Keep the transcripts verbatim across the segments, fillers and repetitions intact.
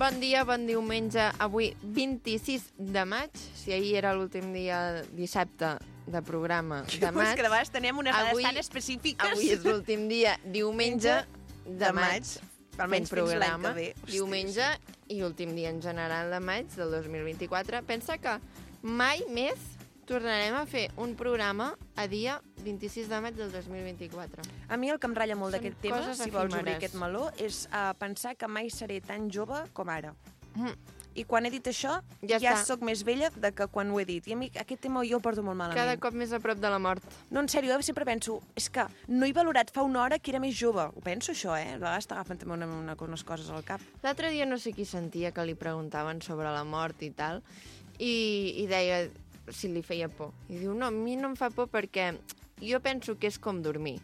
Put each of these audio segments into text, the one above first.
Bon dia, bon diumenge. Avui, vint-i-sis de maig. Si ahir era l'últim dia, dissabte, de programa de maig. És que de vegades tenim unes dades avui, tan específiques. Avui és l'últim dia, diumenge de, de maig. maig. Almenys fent programa. Bé. Hosti, diumenge i últim dia en general de maig del dos mil vint-i-quatre. Pensa que mai més tornarem a fer un programa a dia vint-i-sis de maig del dos mil vint-i-quatre. A mi el que em ratlla molt d'aquest tema, coses si vols obrir efímeres. aquest meló, és uh, pensar que mai seré tan jove com ara. Mm. I quan he dit això, Ja ja, ja està. sóc més vella de que quan ho he dit. I a mi aquest tema jo el porto molt malament. Cada cop més a prop de la mort. No, en sèrio, jo sempre penso, és que no he valorat fa una hora que era més jove. Ho penso, això, eh? A vegades t'agafen també una, una, unes coses al cap. L'altre dia no sé qui sentia que li preguntaven sobre la mort i tal, i, i deia si li feia por. I diu, no, a mi no em fa por perquè jo penso que és com dormir.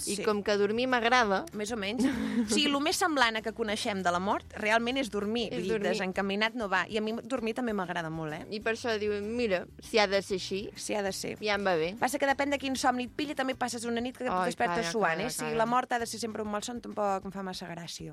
I Sí. com que dormir m'agrada... Més o menys. O sigui, el més semblant a que coneixem de la mort realment és dormir. És Vull dir, dormir. desencaminat no va. I a mi dormir també m'agrada molt, eh? I per això diu, mira, si ha de ser així, Si ha de ser. ja em va bé. Passa que depèn de quin somni et pilla, també passes una nit que et Ai, despertes calla, suant, calla, eh? Si calla. la mort ha de ser sempre un malson, tampoc em fa massa gràcia.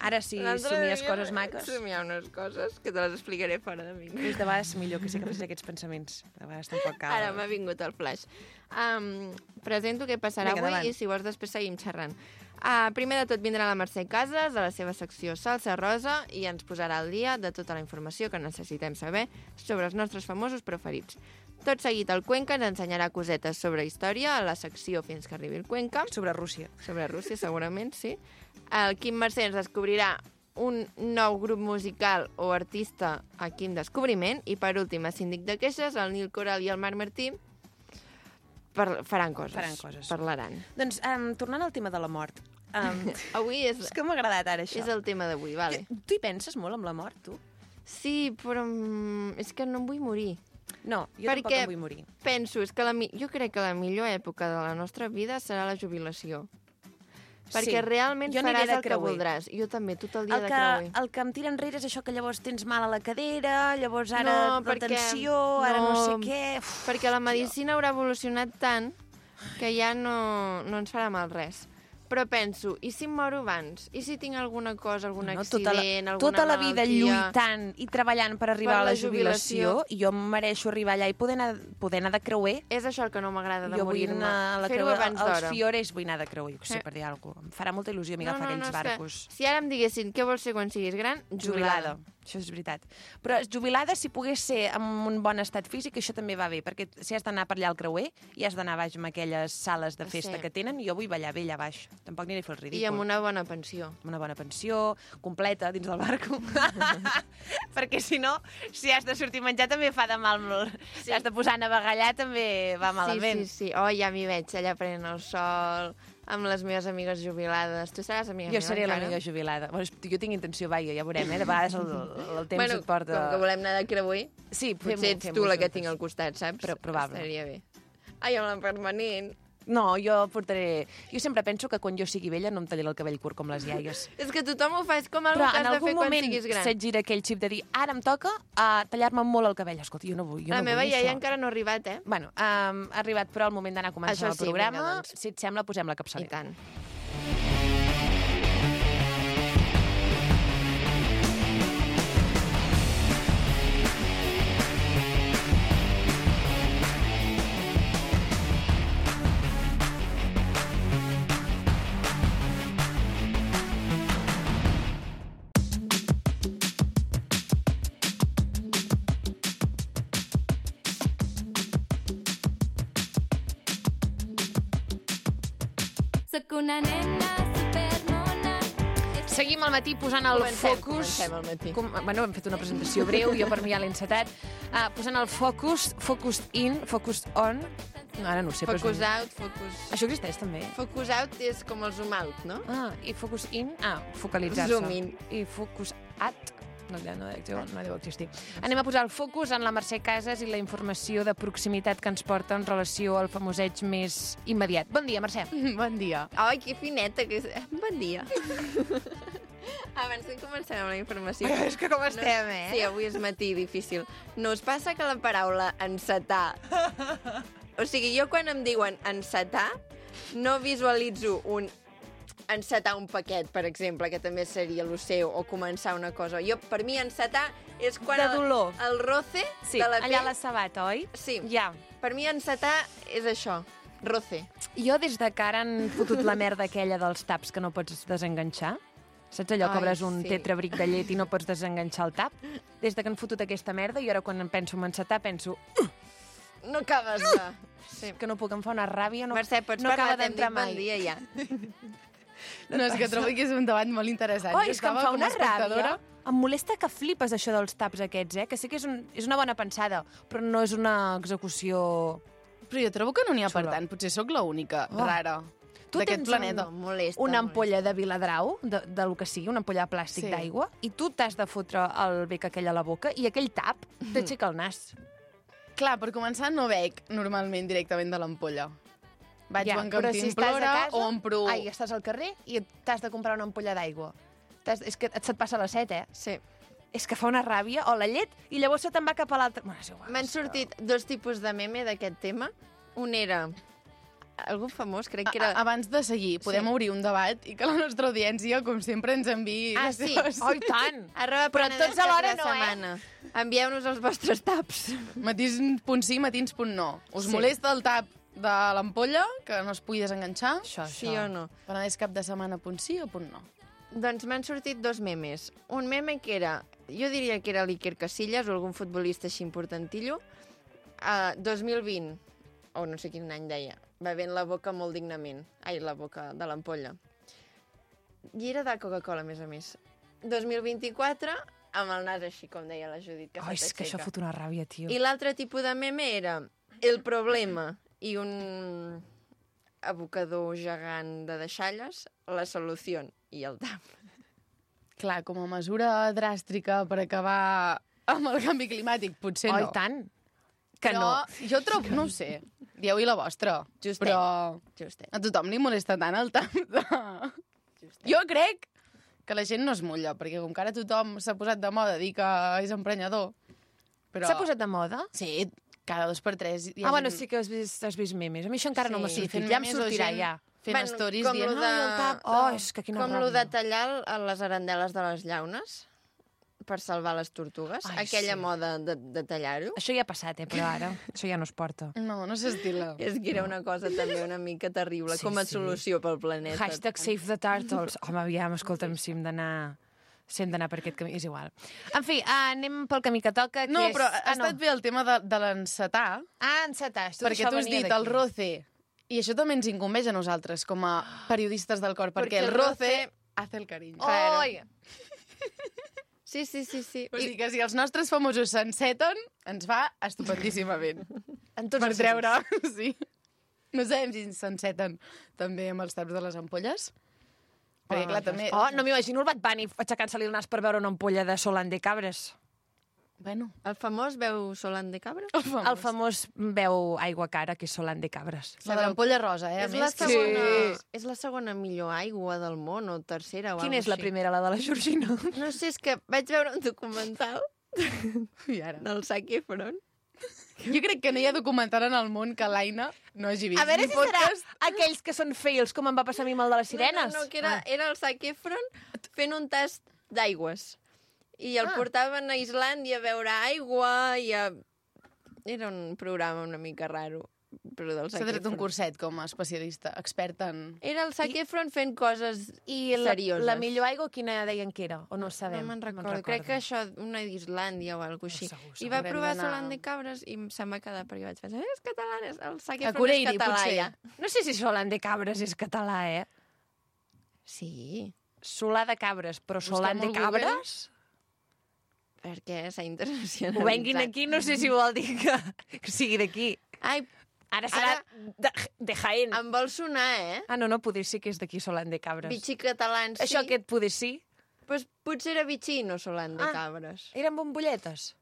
Ara, si L'altre somies dia coses maques, Somiar unes coses que te les explicaré fora de mi. és de vegades millor que sí que facis aquests pensaments. De vegades tampoc cal. Ara m'ha vingut el flash. Um, presento què passarà Vinga, avui endavant. i si vols després seguim xerrant. Uh, primer de tot vindrà la Mercè Casas a la seva secció Salsa Rosa i ens posarà al dia de tota la informació que necessitem saber sobre els nostres famosos preferits. Tot seguit el Cuenca ens ensenyarà cosetes sobre història a la secció Fins que arribi el Cuenca. Sobre Rússia. Sobre Rússia, segurament, sí. El Quim Mercè ens descobrirà un nou grup musical o artista aquí en descobriment. I per últim, a Síndic de Queixes, el Nil Coral i el Marc Martí par faran coses. Faran coses. Parlaran. Doncs, um, tornant al tema de la mort. Um, Avui és, és que m'ha agradat ara, això. és el tema d'avui, vale. Tu hi penses molt amb la mort, tu? Sí, però mm, és que no em vull morir. No, jo tampoc Perquè em vull morir. penso, és que la, mi- jo crec que la millor època de la nostra vida serà la jubilació. Perquè Sí. realment Jo aniré faràs de el que creuer. voldràs. Jo també, tot el dia El de que, creuer. el que em tira enrere és això que llavors tens mal a la cadera, llavors ara No, la perquè- tensió, ara no, no, sé què... Uf, Perquè la medicina haurà evolucionat tant que ja no, no ens farà mal res. Però penso, i si em moro abans? I si tinc alguna cosa, algun no, accident, tota la, alguna tota la vida malaltia? lluitant i treballant per arribar Per a la la jubilació, jubilació. i jo em mereixo arribar allà i poder anar, poder anar de creuer. És això el que no m'agrada de Jo vull morir-me. anar a la Fer-ho creuer, abans als d'hora. Fiores vull anar de creuer, jo què sé, Eh. per dir alguna cosa. Em farà molta il·lusió a mi agafar aquells és que barcos. si ara em diguessin què vols ser quan siguis gran, Jubilada. Això és veritat. Però jubilada, si pogués ser amb un bon estat físic, això també va bé, perquè si has d'anar per allà al creuer i has d'anar baix amb aquelles sales de festa Sí. que tenen, jo vull ballar bé allà baix. Tampoc aniré a fer el ridícul. I amb una bona pensió. Amb una bona pensió, completa, dins del barco. Perquè si no, si has de sortir a menjar també fa de mal. Sí. Si has de posar a navegar allà també va malament. Sí, sí, sí. Oh, ja m'hi veig, allà prenent el sol, amb les meves amigues jubilades. Tu seràs amiga Jo meva seré encara? l'amiga jubilada. Bueno, jo tinc intenció, vaja, ja veurem, eh? De vegades el, el temps bueno, et porta... com que volem anar de creuer, Sí, potser fem-ho, ets fem-ho tu la que juntes. tinc al costat, saps? Però probable. Estaria bé. Ai, amb la permanent. No, jo portaré... Jo sempre penso que quan jo sigui vella no em tallaré el cabell curt com les iaies. És que tothom ho fa, és com el Però que en has de algun fer quan moment siguis gran. se't gira aquell xip de dir ara em toca uh, tallar-me molt el cabell. Escolta, jo no vull, jo La no meva vull iaia això. encara no ha arribat, eh? Bueno, um, ha arribat però el moment d'anar a començar Això el sí, programa. vinga, doncs. Si et sembla, posem la I capçalera. tant. Soc una nena supermona. Seguim al matí posant el Comencem, focus... comencem al matí. Com, bueno, hem fet una presentació breu, jo per mi ja l'he encetat. Uh, posant el focus, focus in, focus on... No, ara no ho sé, però... és Focus un- out, focus... Això existeix també? Focus out és com el zoom out, no? Ah, i focus in... Ah, focalitzar-se. Zoom in. I focus at... No, ja no, deu, no deu existir. Anem a posar el focus en la Mercè Casas i la informació de proximitat que ens porta en relació al famoseig més immediat. Bon dia, Mercè. Bon dia. Ai, que fineta que és. Bon dia. Abans que comencem amb la informació... És que com estem, eh? Sí, avui és matí difícil. No us passa que la paraula encetar... O sigui, jo quan em diuen encetar, no visualitzo un encetar un paquet, per exemple, que també seria el seu, o començar una cosa. Jo, per mi, encetar és quan De el, dolor. el roce Sí, de la allà a pell... la sabata, oi? Sí, Ja. per mi encetar és això, roce. Jo, des de que ara han fotut la merda aquella dels taps que no pots desenganxar, saps allò que Ai, obres un sí. tetrabric de llet i no pots desenganxar el tap? Des de que han fotut aquesta merda, i ara quan em penso en encetar, penso No acabes de... Sí. que no puc, em fa una ràbia, no, Mercè, pots no parlar, acaba t'hem dit d'entrar bon mai. dia ja. No, és que trobo que és un debat molt interessant. Oh, Jo és que em estava fa com a una espectadora. ràbia. Em molesta que flipes això dels taps aquests, eh? Que sé que és, un, és una bona pensada, però no és una execució... Però jo trobo que no n'hi ha per Xula. tant. Potser sóc l'única Oh. rara Tu d'aquest tens planeta. No, molesta. una molesta. ampolla de Viladrau, de, de lo que sigui, una ampolla de plàstic Sí. d'aigua, i tu t'has de fotre el bec aquell a la boca, i aquell tap t'aixeca el nas. Clar, per començar, no bec normalment directament de l'ampolla. Vaig Ja, ja, en però si estàs a cantimplora casa- o empro... Ai, estàs al carrer i t'has de comprar una ampolla d'aigua. T'has- És que se't passa la set, eh? Sí. És que fa una ràbia, o la llet, i llavors se te'n va cap a l'altra. Bueno, és igual, M'han és que- sortit dos tipus de meme d'aquest tema. Un era algú famós, crec que A- era... a- Abans de seguir, podem Sí. obrir un debat i que la nostra audiència, com sempre, ens enviï... Ah, les sí. seves- Oh, i tant! Arroba Però Penedès tots alhora cap de no, eh? setmana. Envieu-nos els vostres taps. Matins punt sí, matins punt no. Us Sí. molesta el tap de l'ampolla, que no es pugui desenganxar? Això, Sí això. o no? Penedès cap de setmana punt sí o punt no? Doncs m'han sortit dos memes. Un meme que era, jo diria que era l'Iker Casillas o algun futbolista així importantillo, uh, dos mil vint, o no sé quin any deia, bevent la boca molt dignament. Ai, la boca de l'ampolla. I era de Coca-Cola, a més a més. dos mil vint-i-quatre, amb el nas així, com deia la Judit, que Oh, és que això s'aixeca. fot una ràbia, tio. I l'altre tipus de meme era el problema i un abocador gegant de deixalles, la solució i el tap. Clar, com a mesura dràstica per acabar amb el canvi climàtic, potser Oh, no. i tant. Que Però no. jo trobo, no ho sé, dieu-hi la vostra, Justet. però Justet. a tothom li molesta tant el tap de... Justet. Jo crec que la gent no es mulla, perquè com que ara tothom s'ha posat de moda dir que és emprenyador, però... S'ha posat de moda? Sí, cada dos per tres hi ha Ah, bueno, gent sí que has vist, has vist memes. A mi això encara no Sí, m'ha sí, sortit. fent Ja em memes o sortirà, gent ja. fent Bueno, stories com dient... lo de- "Ai, el tap". Oh, és que quina Com ràbia. lo de tallar a les arandeles de les llaunes per salvar les tortugues. Ai, Aquella sí. moda de, de tallar-ho. Això ja ha passat, eh, però ara això ja no es porta. No, no s'estila. És que era una cosa també una mica terrible, Sí, com a sí. solució pel planeta. Hashtag Save the Turtles. Home, aviam, escolta'm, si hem d'anar... Si hem d'anar per aquest camí, és igual. En fi, uh, anem pel camí que toca, que No, és... però ha ah, estat bé el tema de, de l'encetar, Ah, encetar. perquè tu has dit el roce, i això també ens incumbeix a nosaltres, com a periodistes del cor, perquè, Perquè el el roce hace el cariño. Oh, oi! Sí, sí, sí, sí. O I, sigui que si els nostres famosos s'enceten, ens va estupendíssimament. En tots Per els treure, sí. No sabem si s'enceten també amb els taps de les ampolles. Perquè, clar, també... Oh, no m'imagino el Bad Bunny aixecant-se-li el nas per veure una ampolla de Solan de Cabres. Bueno, el famós veu Solan de Cabra? el famós. El famós veu aigua cara, que és Solan de Cabres. La de l'ampolla rosa, eh? a És més, la, que- segona, Sí. és la segona millor aigua del món, o tercera, o Quina alguna és la així. primera, la de la Georgina? No sé, és que vaig veure un documental I ara? del Zac Efron. Jo crec que no hi ha documental en el món que l'Aina no hagi vist. A veure Ni si serà podcast. aquells que són fails, com em va passar a mi amb el de les sirenes. No, no, no, que era, Ah. era el Zac Efron fent un tast d'aigües. I el Ah. portaven a Islàndia a veure aigua i a... Era un programa una mica raro, però del S'ha Zac tret un Efron. curset com a especialista, expert en... Era el Zac Efron fent coses I la, serioses. la millor aigua, quina deien que era? O no ho sabem? No me'n recordo. Crec que això, una d'Islàndia o alguna així. segur, I va haurem provar d'anar- Solan de Cabres i se'm va quedar perquè vaig pensar, "Eh, és català, és el Zac A Efron és Cureiri, català potser. ja. No sé si Solan de Cabres és català, eh? Sí, Solà de Cabres, però Busquem Solan de al Google. Cabres? perquè s'ha internacionalitzat. Ho venguin aquí, no sé si vol dir que, que sigui d'aquí. Ai, Ara serà Ara- de, de Jaén. em vol sonar, eh? Ah, no, no, poder sí que és d'aquí Solan de Cabres. Bitxí catalans, sí. Això aquest poder sí. Pues potser era bitxí, no Solan de Ah. Cabres. Eren bombolletes.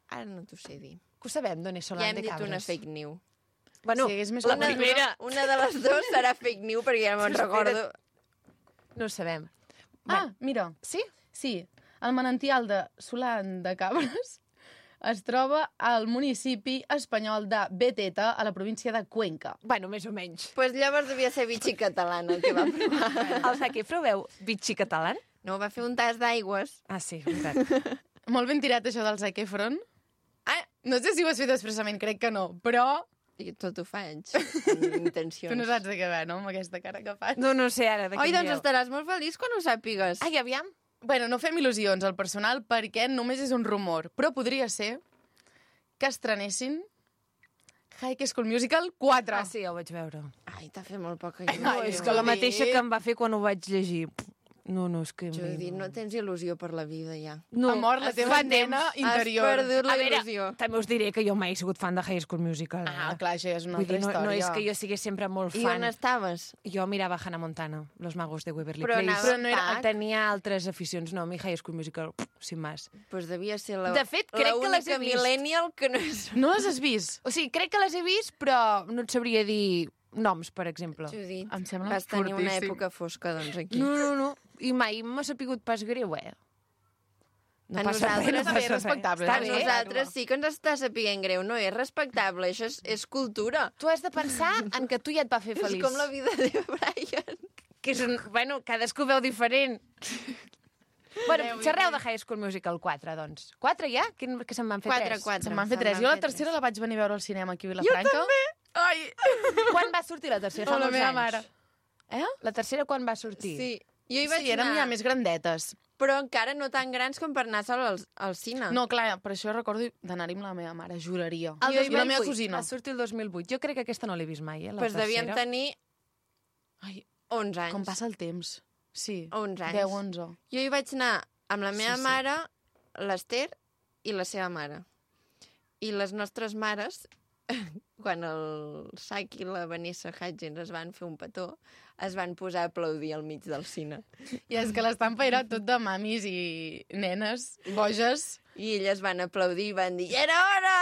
Ara no t'ho sé dir. Que ho sabem, d'on és Solan Ja hem de dit Cabres. una fake news. Bueno, Si hagués més la cultura- primera Una de les dues serà fake news, perquè ja no me'n Espera't. recordo. no ho sabem. Ah, mira, Sí? sí, el manantial de Solan de Cabres es troba al municipi espanyol de Beteta, a la província de Cuenca. Bueno, més o menys. Pues llavors devia ser Vichy català el que va provar. El Zac Efron veu Vichy català? No, va fer un tas d'aigües. Ah, sí, veritat. Molt ben tirat, això del Zac Efron. Ah, No sé si ho has fet expressament, crec que no, però i tot ho faig, amb intencions. tu no saps de què ve, no?, amb aquesta cara que fas. No, no sé ara de Oi, quin doncs dieu. estaràs molt feliç quan ho sàpigues. Ai, aviam. Bueno, no fem il·lusions al personal perquè només és un rumor, però podria ser que estrenessin High School Musical quatre. Ah, sí, ja ho vaig veure. Ai, t'ha fet molt poca No, il·lusió. és que la mateixa que em va fer quan ho vaig llegir. No, no, és que... Judit, no tens il·lusió per la vida, ja. No, Ha mort la teva fa nena temps. interior. Has perdut la A veure, il·lusió. també us diré que jo mai he sigut fan de High School Musical. Ah, eh? clar, això ja és una Vull altra dir, no, història. no és que jo sigués sempre molt I fan. on estaves? Jo mirava Hannah Montana, Los Magos de Waverly Però Place. anava Però no era- tac. Tenia altres aficions. No, a mi High School Musical, pff, sin más. Pues devia ser la, De fet, crec que les he l'única vist. millennial que no és... No les has vist? O sigui, crec que les he vist, però no et sabria dir noms, per exemple. Judit, Em sembla vas tenir una fortíssim. època fosca, doncs, aquí. No, no, no. I mai m'ha sapigut pas greu, eh? No A passa res, no nosaltres passa també és res. respectable, Està A bé. nosaltres sí que ens està sapiguent greu, no és respectable, això és, és cultura. Tu has de pensar en que tu ja et va fer feliç. És com la vida de Brian. Que és un... Bueno, cadascú veu diferent. Bueno, xerreu de High School Musical quatre, doncs. quatre ja? Que, que se'n van fer Quatre, tres? quatre. Se'n van fer Se'n tres. van Jo la fer tercera tres. la vaig venir a veure al cinema aquí a Vilafranca. Jo també! Ai! Quan va sortir la tercera? Fa O la molts meva anys. mare. Eh? La tercera quan va sortir? Sí, jo hi vaig Sí, érem anar, ja més grandetes. però encara no tan grans com per anar sol al, al cine. No, clar, per això recordo d'anar-hi amb la meva mare, juraria. El I la meva dos mil vuit. cosina. Va sortir el dos mil vuit. Jo crec que aquesta no l'he vist mai, eh, la pues devíem tercera. tenir Ai, onze anys. com passa el temps. Sí, onze anys. deu, onze. Jo hi vaig anar amb la meva Sí, sí. mare, l'Ester i la seva mare. I les nostres mares, quan el Sac i la Vanessa Hudgens es van fer un petó, es van posar a aplaudir al mig del cine. I és que l'estampa era tot de mamis i nenes boges. I elles van aplaudir i van dir «Era hora!»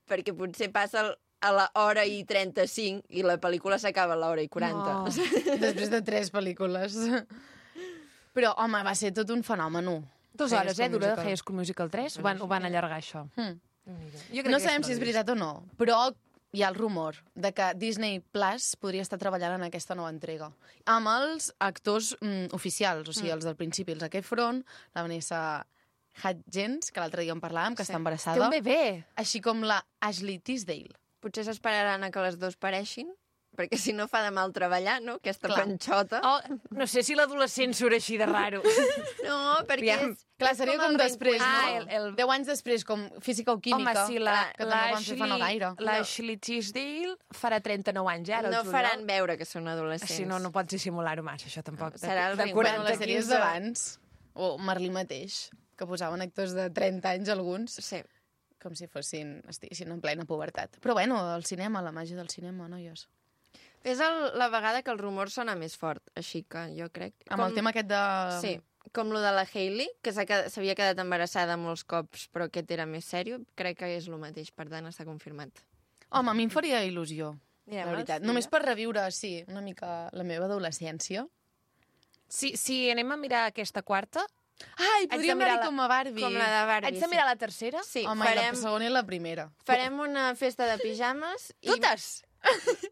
Perquè potser passa el- a la hora i trenta-cinc i la pel·lícula s'acaba a l'hora i quaranta. No. Després de tres pel·lícules. Però, home, va ser tot un fenomen. Dues High hores, School eh, dura Musical. High School Musical tres. Ho van, ho van allargar, això. Hmm. Jo No sabem si és veritat o no, però hi ha el rumor de que Disney Plus podria estar treballant en aquesta nova entrega. Amb els actors mm, oficials, o sigui, els del principi, el Zac Efron, la Vanessa Hudgens, que l'altre dia en parlàvem, que Sí. està Té embarassada, un bebè. així com la Ashley Tisdale. Potser s'esperaran a que les dues pareixin, perquè si no fa de mal treballar, no?, aquesta Clar. panxota. Oh, no sé si l'adolescent surt així de raro. No, perquè Aviam. és... Clar, és seria com, el després, reencuentro. Ah, no? el- el- Deu anys després, com física o química. Home, sí, la, que també ho van fer fa no gaire. l'Ashley Tisdale farà trenta-nou anys, eh, ara, No el juliol. faran veure que són adolescents. Si no, no pots dissimular-ho massa, això tampoc. De, Serà el de reencuentro. Bueno, quaranta, les sèries quinze... d'abans, o Merlí mateix, que posaven actors de trenta anys alguns, Sí. com si fossin, estiguessin en plena pubertat. Però bueno, el cinema, la màgia del cinema, noies. És el, la vegada que el rumor sona més fort, així que jo crec... Amb el tema aquest de... Sí, com lo de la Hailey, que s'ha quedat- s'havia quedat embarassada molts cops, però aquest era més sèrio, crec que és el mateix, per tant està confirmat. Home, a mi em faria il·lusió, Mirem la veritat. els Només dies. per reviure, sí, una mica la meva adolescència. Si, si anem a mirar aquesta quarta, Ai, de podríem mirar anar-hi la- com a Barbie. Com la de Barbie. haig de mirar la tercera? Sí, Home, farem, i la segona i la primera. farem una festa de pijames i Totes?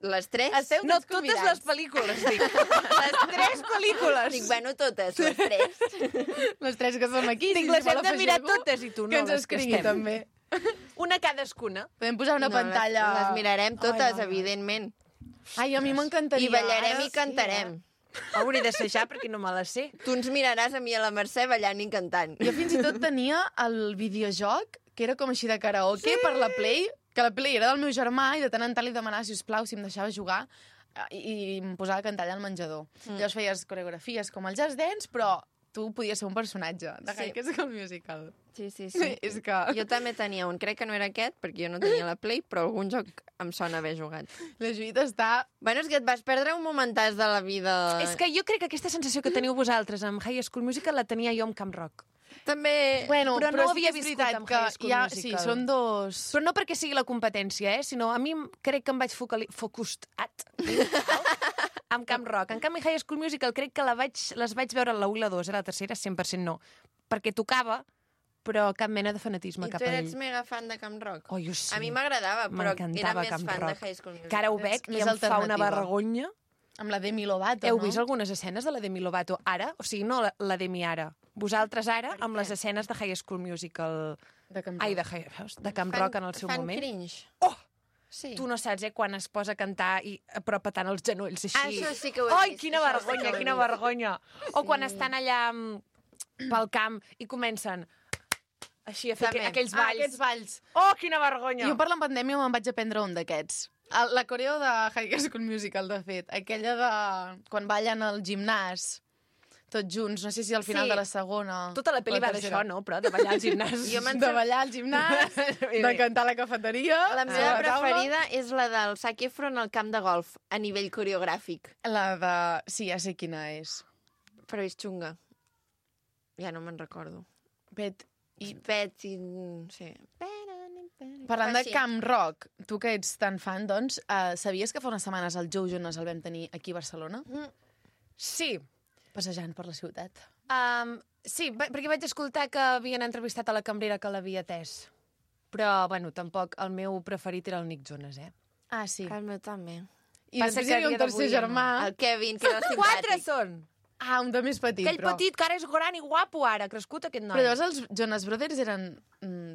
les tres. Esteu No, tots totes convidats. les pel·lícules, dic. Les tres pel·lícules. Dic, bueno, totes, les tres. Les tres que som aquí. Dic, si les vol hem de mirar afegir-ho, totes i tu no, que ens les que escrigui, estem. també. Una cadascuna. Podem posar una No, pantalla... Les, les mirarem totes, Ai, no, no. evidentment. Ai, a mi m'encantaria. I ballarem Ara i cantarem. Hauré d'assajar perquè no me la sé. Tu ens miraràs a mi i a la Mercè ballant i cantant. Jo fins i tot tenia el videojoc, que era com així de karaoke, sí. per la Play, que la Play era del meu germà, i de tant en tant li demanava, sisplau, si em deixava jugar, eh, i, i em posava a cantar allà al menjador. Mm. Llavors feies coreografies com el Just Dance, però tu podies ser un personatge de Sí. High School Musical. Sí, sí, sí. És que... Jo també tenia un, crec que no era aquest, perquè jo no tenia la Play, però algun joc em sona haver jugat. La Judit està... Bueno, és que et vas perdre un momentàs de la vida. És que jo crec que aquesta sensació que teniu vosaltres amb High School Musical la tenia jo amb Camp Rock. També... Bueno, Però però, no sí havia que és viscut veritat amb que High School hi ha, Musical. sí, són dos... Però no perquè sigui la competència, eh? Sinó a mi crec que em vaig focali... focustat amb Camp Rock. En canvi, High School Musical crec que la vaig, les vaig veure la u i la dos, eh? La tercera cent per cent no. Perquè tocava, però cap mena de fanatisme I cap tu a ell. eres mega fan de Camp Rock? Oh, jo sí. A mi m'agradava, però era M'encantava més Camp fan Rock. de High School Musical. Que ara ho Ets veig i més em fa una alternativa. vergonya. Amb la Demi Lovato, Heu no? vist algunes escenes de la Demi Lovato ara? O sigui, no la, la Demi ara. Vosaltres ara, amb les escenes de High School Musical... De Camp Ai, de, Rock. High- veus? de Camp Fan- Rock en el seu fan moment. cringe. Oh! Sí. Tu no saps, eh, quan es posa a cantar i però petant els genolls així. Ah, això sí que ho he Ai, vist, quina això sí que vergonya, ho he quina vist. vergonya. O quan estan allà mm, pel camp i comencen així a fer També. aqu aquells Ah, balls. aquests balls. Oh, quina vergonya. Jo per la pandèmia me'n vaig aprendre un d'aquests. El- La coreo de High School Musical, de fet. Aquella de... quan ballen al gimnàs, tots junts. No sé si al final Sí. de la segona... Tota la pel·li o va tercera. d'això, no? Però de ballar al gimnàs. Jo me'n De ballar al gimnàs, de cantar a la cafeteria... La a meva taula. preferida és la del Zac Efron al camp de golf, a nivell coreogràfic. La de... Sí, ja sé quina és. Però és xunga. Ja no me'n recordo. Bet, I pets i... Sí. parlant de Així. Camp Rock, tu que ets tan fan, doncs, uh, sabies que fa unes setmanes el Joe Jonas el vam tenir aquí a Barcelona? Sí, Passejant per la ciutat. um, sí, va- perquè vaig escoltar que havien entrevistat a la cambrera que l'havia atès. Però, bueno, tampoc el meu preferit era el Nick Jonas, eh? Ah, sí. El meu també. I Passa després que hi havia a un dia tercer d'avui ja no. germà. El Kevin, que era el Quatre simpàtic. són! Ah, un de més petit, Aquell però... petit que ara és gran i guapo ara, ha crescut aquest noi. Però llavors els Jonas Brothers eren mm,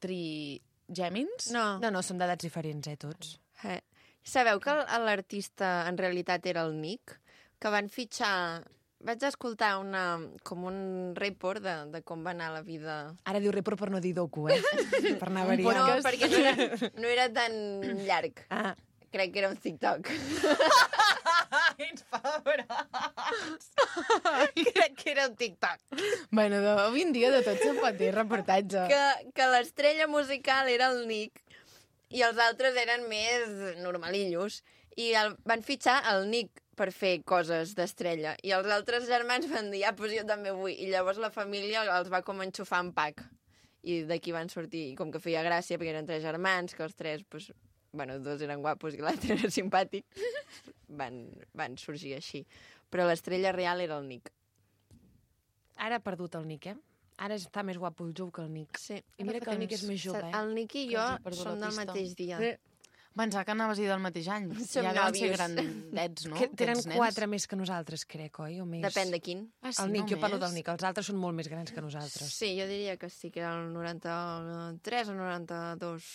trigèmins? No. No, no, són d'edats diferents, eh, tots. Eh. Sabeu que el- l'artista en realitat era el Nick? Que van fitxar... Vaig escoltar una, com un report de, de com va anar la vida... Ara diu report per no dir docu, eh? per anar No, variant. perquè no era, no era tan llarg. Ah. Crec que era un TikTok. Ets pebrats. Crec que era un TikTok. Bueno, de, avui en dia de tot se'n pot dir reportatge. Que, que l'estrella musical era el Nick i els altres eren més normalillos. I el, van fitxar el Nick per fer coses d'estrella. I els altres germans van dir, ah, doncs jo també vull. I llavors la família els va com enxufar en pack. I d'aquí van sortir, i com que feia gràcia, perquè eren tres germans, que els tres, doncs, bueno, dos eren guapos i l'altre era simpàtic, van, van sorgir així. Però l'estrella real era el Nick. Ara ha perdut el Nick, eh? Ara està més guapo el Joe que el Nick. Sí. I mira que el Nick és més jove, eh? El Nick i Que jo els he perdut som la del pista. mateix dia. Sí. Pensava que anaves a dir del mateix any. Som ja deuen ser nòvios. grandets, no? Que tenen aquests nens? quatre més que nosaltres, crec, oi? O més? Depèn de quin. Ah, sí, El Nick, jo parlo només? del Nick. Els altres són molt més grans que nosaltres. Sí, jo diria que sí, que era el noranta-tres o noranta-dos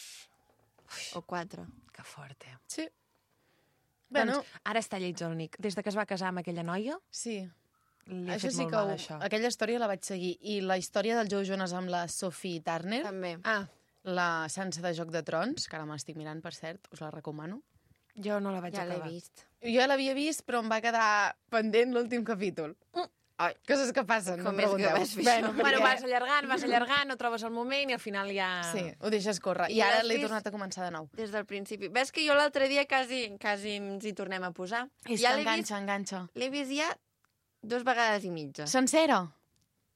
o quatre. Que fort, eh? Sí. Bueno, Doncs ara està lleig el Nick. Des de que es va casar amb aquella noia, sí. li ha Això fet sí molt que... mal, Ho, això. aquella història la vaig seguir. I la història del Joe Jonas amb la Sophie Turner, També. Ah, la Sansa de Joc de Trons, que ara m'estic mirant, per cert, us la recomano. jo no la vaig Ja l'he acabar. vist. Jo l'havia vist, però em va quedar pendent l'últim capítol. Ai, Coses que passen, Com no és que pregunteu. vas fer Bueno, això? Bueno, perquè- vas allargant, vas allargant, no trobes el moment i al final ja... Sí, ho deixes córrer. I I ara l'has l'he vist? tornat a començar de nou. des del principi. Ves que jo l'altre dia quasi, quasi ens hi tornem a posar. És ja que l'he vist, enganxa, enganxa. l'he vist ja dos vegades i mitja. Sencera.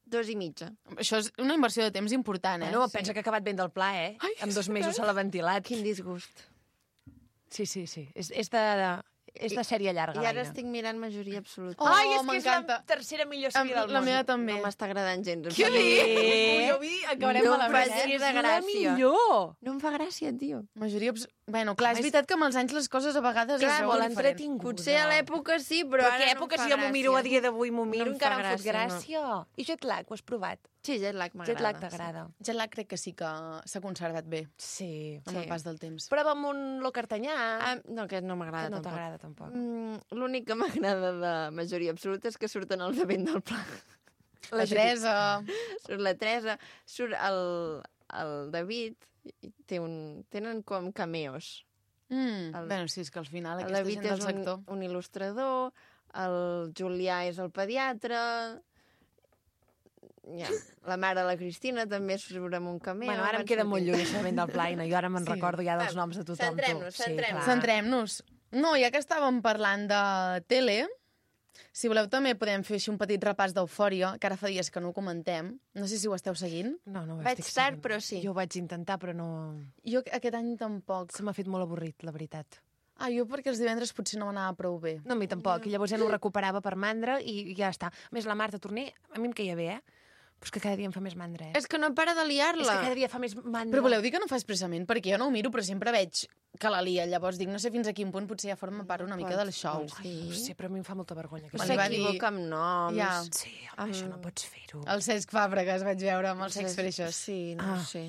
Dos i mitja. Això és una inversió de temps important, eh? Bueno, pensa que ha acabat ben del pla, eh? Ai, en dos mesos se l'ha ventilat. Quin disgust. Sí, sí, sí. És, és, de, de, és de sèrie llarga, I ara l'Aina. estic mirant majoria absoluta. Oh, Ai, és que és la m'encanta. tercera millor Em- sèrie del la món. meva també. No m'està agradant gens. em Què fa- dius? Jo vi, acabarem No em malament, facis eh? de És la gràcia. millor! No em fa gràcia, tio. Majoria... abs- Bueno, clar, és més- veritat que amb els anys les coses a vegades Clar, es veuen molt diferents. entretinguda. Potser a l'època sí, però, Però ara què no època, em fa si jo m'ho miro a gràcia. dia d'avui, m'ho miro, No em encara fa em fot gràcia, gràcia. I jet lag, ho has provat? Sí, jet lag m'agrada. Jet lag t'agrada. Jet lag crec que sí que s'ha conservat bé Sí. amb Sí. el pas del temps. Prova amb un locartanyà, Ah, no, aquest no m'agrada que no tampoc. t'agrada tampoc. Mm, L'únic que m'agrada de majoria absoluta és que surten els de vent del pla. La Teresa... Surt la Teresa, surt el, el David, i té un, tenen com cameos. Mm. El- Bueno, sí, és que al final El aquesta David gent del és sector... un, un il·lustrador, el Julià és el pediatre, ja, la mare de la Cristina també surt amb un cameo. Bueno, ara em van queda molt sortint. lluny això de vent del pla, i jo ara me'n Sí. recordo ja dels Va, noms de tothom. tu. centrem-nos, Sí, centrem-nos. clar. Centrem-nos. No, ja que estàvem parlant de tele, si voleu també podem fer així un petit repàs d'Eufòria, que ara fa dies que no ho comentem. No sé si ho esteu seguint. No, no ho Vaig estic tard, seguint. però sí. Jo ho vaig intentar, però no... Jo aquest any tampoc. Se m'ha fet molt avorrit, la veritat. Ah, jo perquè els divendres potser no m'anava prou bé. No, a mi tampoc. I llavors ja no ho recuperava per mandra i, i ja està. A més, la Marta Torner, a mi em queia bé, eh? Però és que cada dia em fa més mandra, eh? És que no para de És liar-la. que cada dia fa més mandra. Però voleu dir que no fa expressament? Perquè jo no ho miro, però sempre veig que la lia. Llavors dic, no sé fins a quin punt potser ja forma part una mica del show. Ai, no sé, però a mi em fa molta vergonya. Però Que Me li va dir- s'equivoca amb noms. Ja. Sí, home, això no pots fer-ho. El Cesc Fàbregas vaig veure amb els Sex Freixos. Sí, no Ah. sé.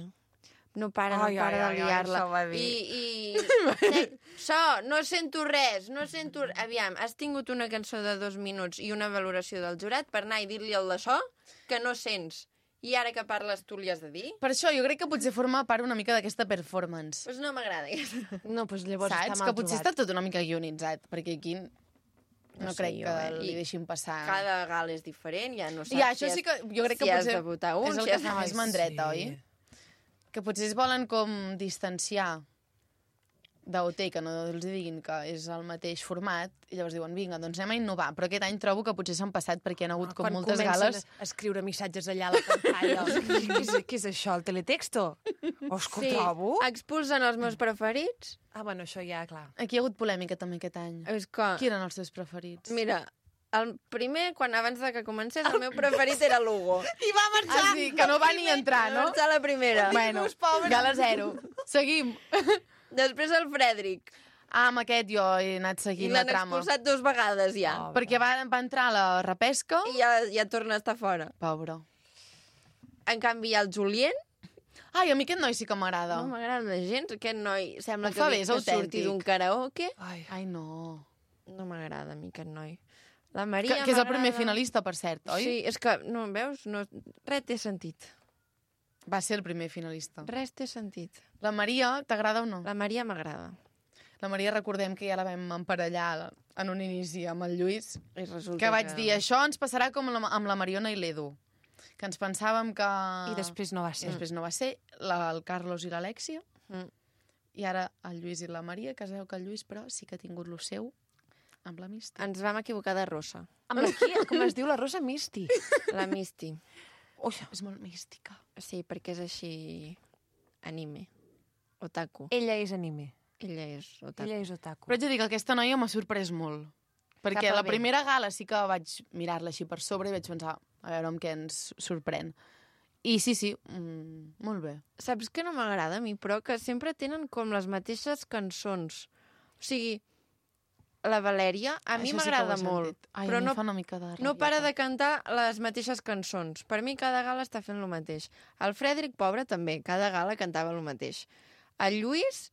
No para, no Ai, para ai, ai, de ai, liar-la. això ho va dir. I, i... Se- So, no sento res, no sento... Aviam, has tingut una cançó de dos minuts i una valoració del jurat per anar i dir-li al de so que no sents. I ara que parles tu li has de dir? Per això, jo crec que potser forma part una mica d'aquesta performance. Doncs pues no m'agrada. No, doncs llavors Saps? està mal Que potser trobat. està tot una mica guionitzat, perquè aquí no, No sé, crec jo, que eh? li I deixin passar... Cada gal és diferent, ja no saps Ja, això si sí que jo crec si que has potser de votar un, és el si que has fa de- més mandreta, oi? Que potser es volen com distanciar d'O T, que no els diguin que és el mateix format, i llavors diuen, vinga, doncs anem a innovar. Però aquest any trobo que potser s'han passat perquè hi ha hagut com Quan moltes comencen gales. a escriure missatges allà a la pantalla. què, és, què és això, el teletexto? O és que ho trobo? Expulsen els meus preferits. Ah, bueno, això ja, clar. Aquí hi ha hagut polèmica també aquest any. És que... Qui eren els teus preferits? Mira, el primer, quan abans de que comencés, el meu preferit era l'Hugo. I va marxar! Ah, sí, que no va ni entrar, no? Va la primera. Bueno, gala zero. Seguim. Després el Frederic. Ah, amb aquest jo he anat I seguint la l'han trama. expulsat dues vegades ja. Oh. Perquè va, va entrar a la repesca. I ja, ja torna a estar fora. Pobre. En canvi, hi ha el Julien. Ai, a mi aquest noi sí que m'agrada. No m'agrada gens. Aquest noi sembla Ho que, fa bé, ve- és que autèntic. surti d'un karaoke. Ai, Ai, no. No m'agrada a mi aquest noi. La Maria Que, que és el primer m'agrada. finalista, per cert, oi? Sí, és que, no, veus? No, res té sentit. Va ser el primer finalista. Res té sentit. La Maria, t'agrada o no? La Maria m'agrada. La Maria, recordem que ja la vam emparellar en un inici amb el Lluís, I resulta que vaig dir, això ens passarà com la, amb la Mariona i l'Edu, que ens pensàvem que... i després no va I ser. després no va ser, la, el Carlos i l'Alèxia, Mm. i ara el Lluís i la Maria, que es veu que el Lluís, però, sí que ha tingut lo seu amb la Misty. Ens vam equivocar de rossa. Amb la qui? Com es diu? La Rosa Misty. La Misty. Ui, És molt mística. Sí, perquè és així... anime. Otaku. ella és anime. Ella és otaku. Ella és otaku. Però haig de dir que aquesta noia m'ha sorprès molt. Perquè Cap a la bé. primera gala sí que vaig mirar-la així per sobre i vaig pensar, a veure amb què ens sorprèn. I sí, sí, mm, molt bé. Saps que no m'agrada a mi, però que sempre tenen com les mateixes cançons. O sigui, la Valèria a mi Això sí que ho m'agrada he molt, sentit. Ai, però a mi no, em fa una mica de no para rabieta. de cantar les mateixes cançons. Per mi cada gala està fent el mateix. El Frederic, pobre, també. Cada gala cantava el mateix. El Lluís...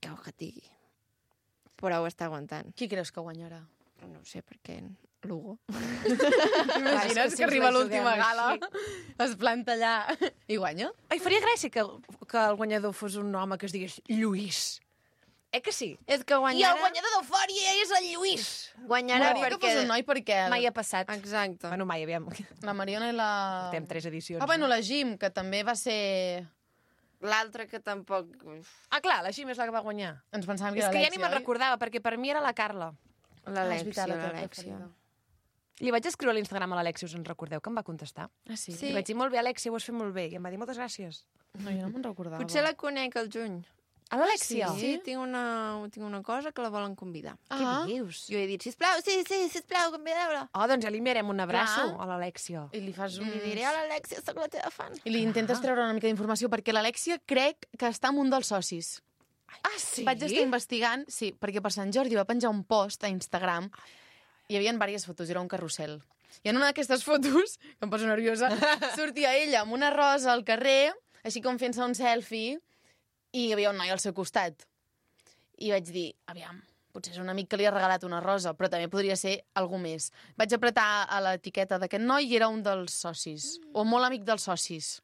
Que ho que digui. Però ho està aguantant. Qui creus que guanyarà? No ho sé, perquè... Lugo. T'imagines si que ens arriba la l'última juguem gala, així. es planta allà i guanya? Ai, faria gràcia que, que el guanyador fos un home que es digués Lluís. Eh que sí? És que I guanyarà... el guanyador d'Eufòria és el Lluís. Guanyarà M'agradaria que perquè... fos un noi perquè Mai ha passat. Exacte. Bueno, mai, aviam. la Mariona i la... Portem tres edicions. Ah, bueno, no? la Jim, que també va ser... L'altre que tampoc... Ah, clar, la Xim és la que va guanyar. Ens pensàvem que És era que ja l'Alexia, ni me'n oi? recordava, perquè per mi era la Carla. Ah, és L'Alexia, veritat, la teva l'Alexia. preferida. Li vaig escriure a l'Instagram a l'Alexia, us en recordeu, que em va contestar. Ah, sí? Sí. Li vaig dir, molt bé, Alexia, ho has fet molt bé. I em va dir, moltes gràcies. No, jo no me'n recordava. Potser la conec al juny. A l'Alexia? Sí, tinc una, tinc una cosa que la volen convidar. Què Ah, dius? Jo he dit, sisplau, sí, sí, sisplau, convideu-la. Oh, doncs ja li enviarem un abraço Clar. a l'Alexia. i li fas un... I li diré, hola, Alexia, sóc la teva fan. I li intentes treure una mica d'informació, perquè l'Alexia crec que està amb un dels socis. Ah, sí? Vaig estar investigant, sí, perquè per Sant Jordi va penjar un post a Instagram, hi havia diverses fotos, era un carrusel. I en una d'aquestes fotos, que em poso nerviosa, sortia ella amb una rosa al carrer, així com fent-se un selfie, i hi havia un noi al seu costat. I vaig dir, aviam, potser és un amic que li ha regalat una rosa, però també podria ser algú més. Vaig apretar a l'etiqueta d'aquest noi i era un dels socis, o molt amic dels socis.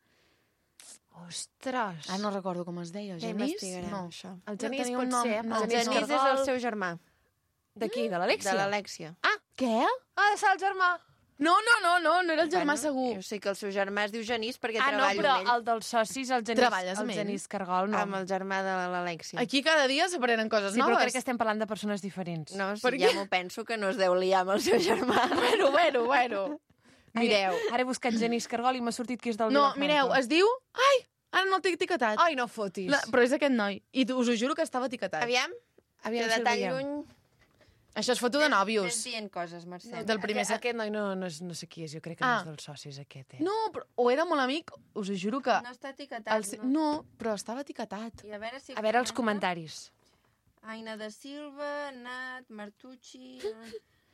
Ostres. Ah, no recordo com es deia, Ja Genís? investigarem, No. això. El No Genís tenia pot un nom, ser. no. El Genís Genís és Cargol. el seu germà, De qui? De l'Alexia? de l'Alexia. Ah, Què? ha de ser el germà. No, no, no, no, no era el germà segur. Jo sé que el seu germà es diu Genís perquè Ah, no, treballo però amb ell. el dels socis, el Genís, Treballes amb el ell? Genís Cargol, no. Amb el germà de l'Alexia. Aquí cada dia s'aprenen coses Sí, noves. però crec que estem parlant de persones diferents. No, si Per ja què? m'ho penso que no es deu liar amb el seu germà. Bueno, bueno, bueno. Mireu. Ara, ara he buscat Genís Cargol i m'ha sortit que és del No, Vilafranca. mireu, es diu... Ai, ara no el té etiquetat. Ai, no fotis. La, però és aquest noi. I us ho juro que estava etiquetat. Aviam, Aviam que si de el tan veiem. lluny... Això és foto de Ves nòvios. dient coses, Mercè. Del primer... Aquest, aquest noi no, no, és, no sé qui és, jo crec que Ah. no és dels socis, aquest, eh? No, però, o era molt amic, us ho juro que... No està etiquetat, El... no. No, però estava etiquetat. I a veure si... A veure els comenta. comentaris. Aina de Silva, Nat, Martucci...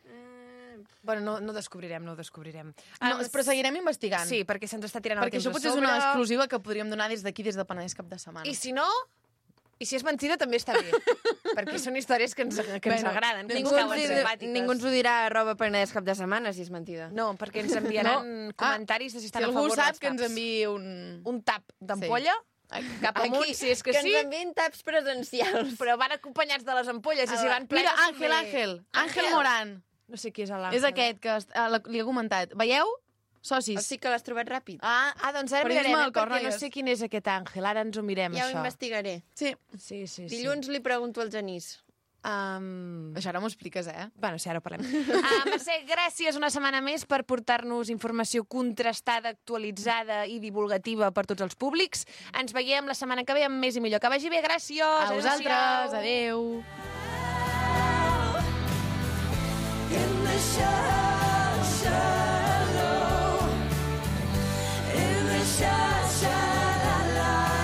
Eh... Bueno, no, no ho descobrirem, no ho descobrirem. No, Ah, però seguirem investigant. Sí, perquè se'ns està tirant Perquè el això temps potser a és una sobre. exclusiva que podríem donar des d'aquí, des de Penedès cap de setmana. I si no... I si és mentida, també està bé. Perquè són històries que ens, que ens Bueno, agraden, que Ningú, ens ens cauen hi, simpàtiques. ningú ens ho dirà a arroba Penedès cap de setmana, si és mentida. No, perquè ens enviaran No. comentaris de si Si estan a algú favor sap, dels que ens taps. enviï un... Un tap d'ampolla, cap amunt, Aquí, si és que, que sí, ens envien taps presencials. però van acompanyats de les ampolles, i si van plenes... Mira, Àngel, també- Àngel. Àngel Àngel. Morán. No sé qui és l'Àngel. És aquest que est- ah, la- li he comentat. Veieu? Socis. O sigui que l'has trobat ràpid. Ah, Ah, doncs ara Periodisme mirarem, del eh, cor, perquè no noies. sé quin és aquest Àngel. Ara ens ho mirem, Ja ho això. investigaré. sí. Sí, sí, sí. Dilluns li pregunto al Genís. Um... Això ara m'ho expliques, eh? Bueno, sí, ara ho parlem. Uh, Mercè, gràcies una setmana més per portar-nos informació contrastada, actualitzada i divulgativa per tots els públics. Ens veiem la setmana que ve amb més i millor. Que vagi bé, gràcies! A vosaltres, adeu. In the shadow, shadow, in the shadow, shadow,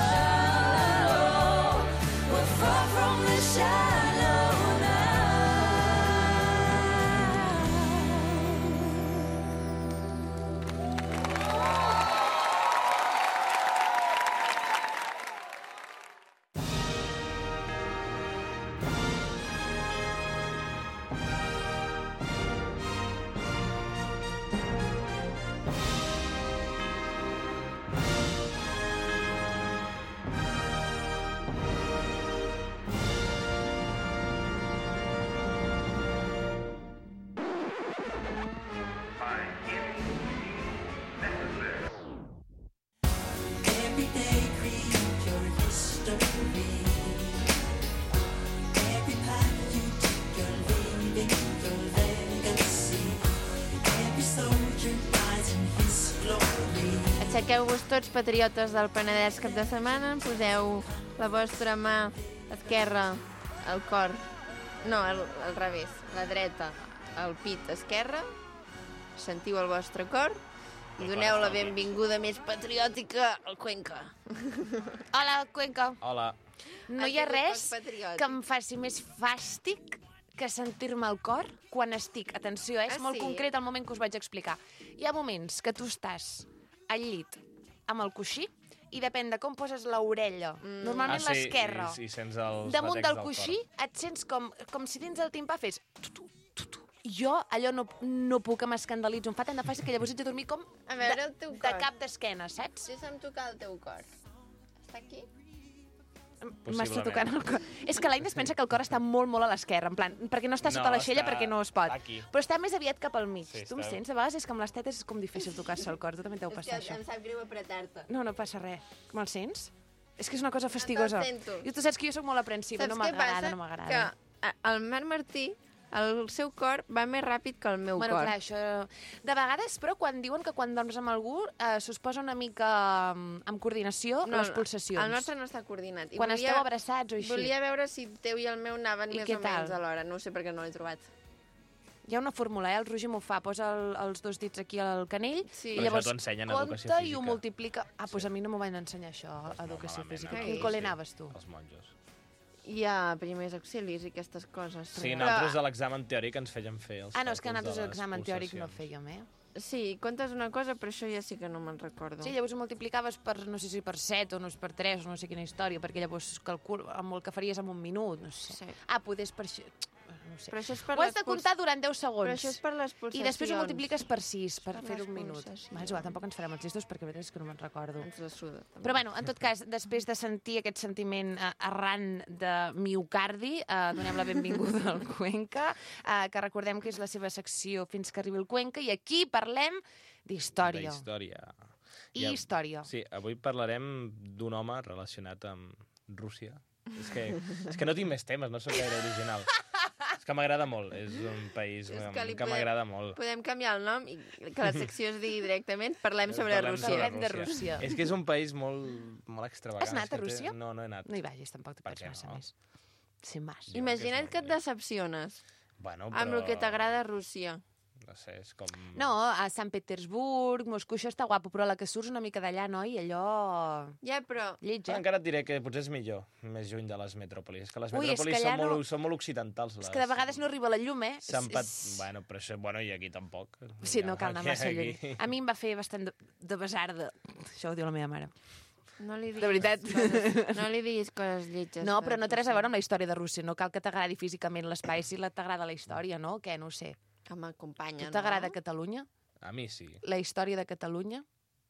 shadow, we're far from the shadow Every day create your history. Every path you take, you're leaving your legacy. Every soldier dies in his glory. Aixequeu-vos tots, patriotes del Penedès cap de setmana, poseu la vostra mà esquerra al cor, no, al, al revés, la dreta al pit esquerre, sentiu el vostre cor i doneu la benvinguda més patriòtica al Cuenca. Hola, Cuenca. Hola. No Ha hi ha sigut res poc patriòtic. que em faci més fàstic que sentir-me al cor quan estic. Atenció, eh? és Ah, molt sí? concret el moment que us vaig explicar. Hi ha moments que tu estàs al llit amb el coixí i depèn de com poses l'orella, mm. normalment Ah, sí, l'esquerra, i, i sents els damunt batecs del del coixí cor. et sents com, com si dins del timpà fes... Tu, tu, tu, tu. Jo allò no, no puc, m'escandalitzo. Em fa tant de fàcil que llavors haig de dormir com A veure de, el teu de cor. cap d'esquena, saps? Deixa'm tocar el teu cor. Està aquí? M'està tocant el cor. És que l'Aina es pensa que el cor està molt, molt a l'esquerra, en plan, perquè no està sota No, l'aixella està perquè no es pot. aquí. Però està més aviat cap al mig. Sí, tu em està- sents? A vegades és que amb les tetes és com difícil tocar-se el cor. Tu també t'heu És passat que això. em sap greu apretar-te. No, no passa res. Me'l sents? És que és una cosa fastigosa. sento. I tu saps que jo sóc molt aprensiva, Saps no què m'agrada, passa? no m'agrada. Que a- el Marc Martí, el seu cor va més ràpid que el meu Bueno, cor. clar, això... De vegades, però, quan diuen que quan dorms amb algú eh, s'us posa una mica mm, amb coordinació les pulsacions. El nostre no està coordinat. I Quan volia, esteu abraçats o així. Volia veure si el teu i el meu anaven I més què o menys tal? alhora. No ho sé perquè no l'he trobat. Hi ha una fórmula, eh? El Roger m'ho fa, posa el, els dos dits aquí al canell Sí. i Però llavors això t'ho ensenyen a compta educació i ho física. multiplica. Ah, doncs a mi no m'ho van ensenyar això, a educació malament, física. no? A quin Sí. col·le anaves tu? Els monjos. Hi ha primers auxilis i aquestes coses. Sí, Però- nosaltres a l'examen teòric ens feien fer els Ah, no, és que càlculs nosaltres de les l'examen teòric no pulsacions. fèiem, eh? Sí, comptes una cosa, però això ja sí que no me'n recordo. Sí, llavors ho multiplicaves per, no sé si per set o no és per tres, o no sé quina història, perquè llavors calcul amb el que faries en un minut, no sé. Sí. Ah, poder per això... No sé. Però això és per Ho has les de puls- comptar durant deu segons. Però això és per les I pulsacions. després ho multipliques per sis, per Per fer les un minut. pulsacions. Va, és igual, tampoc ens farem els gestos perquè la veritat és que no me'n recordo. Ens la suda. també. Però bueno, en tot cas, després de sentir aquest sentiment eh, arran de miocardi, eh, donem la benvinguda al Cuenca, eh, que recordem que és la seva secció Fins que arribi el Cuenca, i aquí parlem d'història. Història. I història. Sí, avui parlarem d'un home relacionat amb Rússia. És que, és que no tinc més temes, no sóc gaire original. És que m'agrada molt, és un país És que, que li que podem- m'agrada molt. Podem canviar el nom i que la secció es digui directament Parlem sobre Parlem Rússia. sobre Parlem de Rússia. És que és un país molt, molt extravagant. Has anat és que a Rússia? Té... No, no he anat. No hi vagis, tampoc te Per pots què massa no? més. Sin más. Jo Imagina't crec que és et decepciones Bueno, amb el que t'agrada a Rússia. No sé, és com... No, a Sant Petersburg, Moscou, això està guapo, però a la que surts una mica d'allà, noi, allò... Ja, però... Lleig, Ah, eh? encara et diré que potser és millor, més lluny de les metròpolis. És que les Ui, és metròpolis que allà són, molt, no- són molt occidentals. Les... És que de vegades no arriba la llum, eh? Sant Pat... És- Bueno, però això... Bueno, i aquí tampoc. Sí, no cal anar Aquí- massa lluny. aquí- A mi em va fer bastant de, de besarda. Això ho diu la meva mare. No li diguis De veritat. Coses, no li diguis coses lletges. No, de però no té res a Rússia. veure amb la història de Rússia. No cal que t'agradi físicament l'espai, si la t'agrada la història, no? Què, no ho sé. Que m'acompanya, Tu t'agrada no? Catalunya? A mi sí. La història de Catalunya?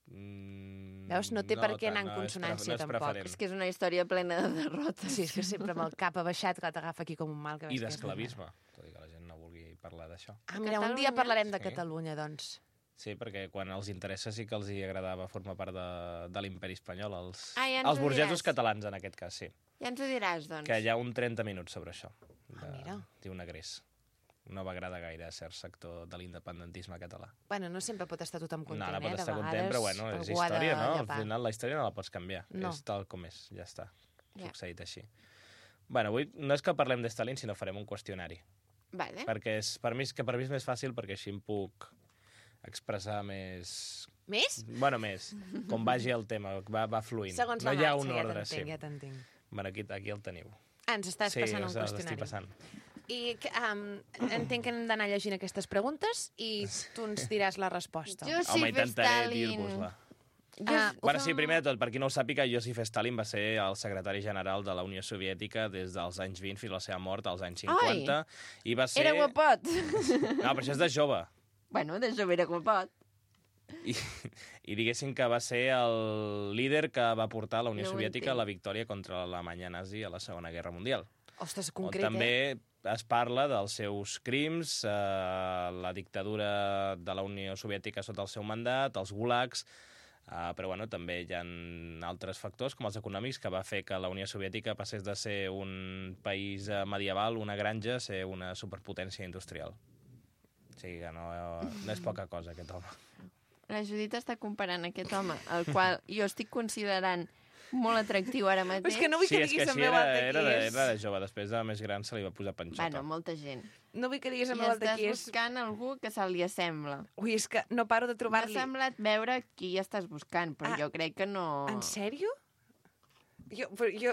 Mm, Veus, no té per què anar en tant, no és consonància, pre- no és tampoc. preferent. És que és una història plena de derrotes. Sí, és que sempre amb el cap abaixat que t'agafa aquí com un mal. Que I veus que és d'esclavisme. Tot i que la gent no vulgui parlar d'això. Ah, mira, un dia Catalunya? parlarem de Sí. Catalunya, doncs. Sí, perquè quan els interessa sí que els hi agradava formar part de, de l'imperi espanyol. Els, Ah, ja ens els ho burgesos diràs. catalans, en aquest cas, sí. Ja ens ho diràs, doncs. Que hi ha un trenta minuts sobre això. De, Ah, mira. Diu Negrés. No va agradar gaire a cert sector de l'independentisme català. Bueno, no sempre pot estar tothom No, content, no pot eh? De estar content, vegades però bueno, és algú ha de història, no? Al llepar. final la història no la pots canviar. No. És tal com és, ja està. Ja. Succeït així. Bueno, avui no és que parlem de Stalin, sinó farem un qüestionari. Vale. Perquè és, per mi, és que per mi és més fàcil, perquè així em puc expressar més... Més? Bueno, més. Com vagi el tema, va, va fluint. Segons no la hi ha marxa, un ja ordre, t'entenc, sí. ja t'entenc. Bueno, aquí, aquí el teniu. Ah, ens estàs sí, passant un els- els qüestionari. estic passant. I que, um, entenc que hem d'anar llegint aquestes preguntes i tu ens diràs la resposta. Josip Home, intentaré Stalin. dir-vos-la. Ah, ho Bueno, fem- sí, primer de tot, per qui no ho sàpiga, Josip Stalin va ser el secretari general de la Unió Soviètica des dels anys vint fins a la seva mort als anys cinquanta. I va ser... Era guapot. No, però això és de jove. Bueno, de jove era guapot. I, I diguéssim que va ser el líder que va portar la Unió No ho Soviètica a entenc. la victòria contra l'Alemanya nazi a la Segona Guerra Mundial. Ostres, On concret, eh? també es parla dels seus crims, eh, la dictadura de la Unió Soviètica sota el seu mandat, els gulags, eh, però bueno, també hi ha altres factors, com els econòmics, que va fer que la Unió Soviètica passés de ser un país eh, medieval, una granja, a ser una superpotència industrial. O sigui que no, no és poca cosa, aquest home. La Judit està comparant aquest home, el qual jo estic considerant molt atractiu ara mateix. És que no vull Sí, que és que diguis així en veu era, alta era, qui de, és. era de jove, després de més gran se li va posar panxota. Bueno, molta gent. No vull que diguis I en veu alta estàs qui és. buscant algú que se li assembla. Ui, és que no paro de M'ha trobar-li. semblat veure qui estàs buscant, però Ah, jo crec que no... En sèrio? Jo, però jo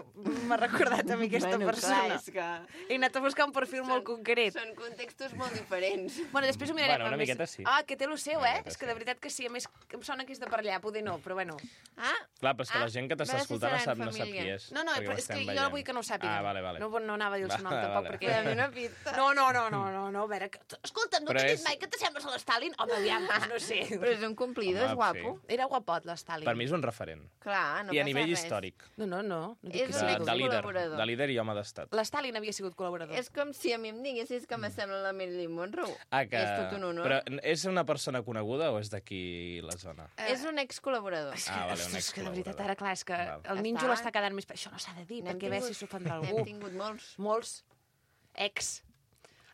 m'ha recordat a mi aquesta Bueno, persona. clar, és que... He anat a buscar un perfil molt concret. Són contextos molt diferents. Bueno, després ho mirarem. Bueno, una amb més- miqueta sí. Ah, que té lo seu, Una eh? miqueta És que sí. de veritat que sí. A més, em sona que és de per allà. Poder no, però bueno. Ah, Clar, però és que Ah, la gent que t'està a veure si escoltant no serà sap, en no sap família. qui és. No, no, perquè però ho és que estem jo veient. vull que no ho sàpiga. Ah, vale, vale. No, no anava a dir el seu nom, Vale, tampoc, vale. perquè... Dame una pista. No, no, no, no, no, no, a veure... Que... Escolta, no Però t'he dit és- mai que t'assembles a l'Stalin? Home, aviam, doncs no sé. Però és un complido, Home, és guapo. sí. Era guapot, l'Stalin. Per mi és un referent. Clar, no I a passa nivell res. històric. No, no, no. no dic És que un De, sigui. de líder. col·laborador. De líder i home d'estat. L'Stalin havia sigut col·laborador. És com si a mi em diguessis que m'assembla la Marilyn Monroe. Ah, que... És tot un honor. Però és una persona coneguda o és d'aquí la zona? Eh, És un excol·laborador. És que, Ah, vale, un ostres, que de veritat, excol·laborador. ara, clar, és que Val. el Ja ninjo està. l'està quedant més... Això no s'ha de dir, N'hem perquè a veure si tingut- s'ofendrà N'hem algú. tingut molts. Molts. Ex.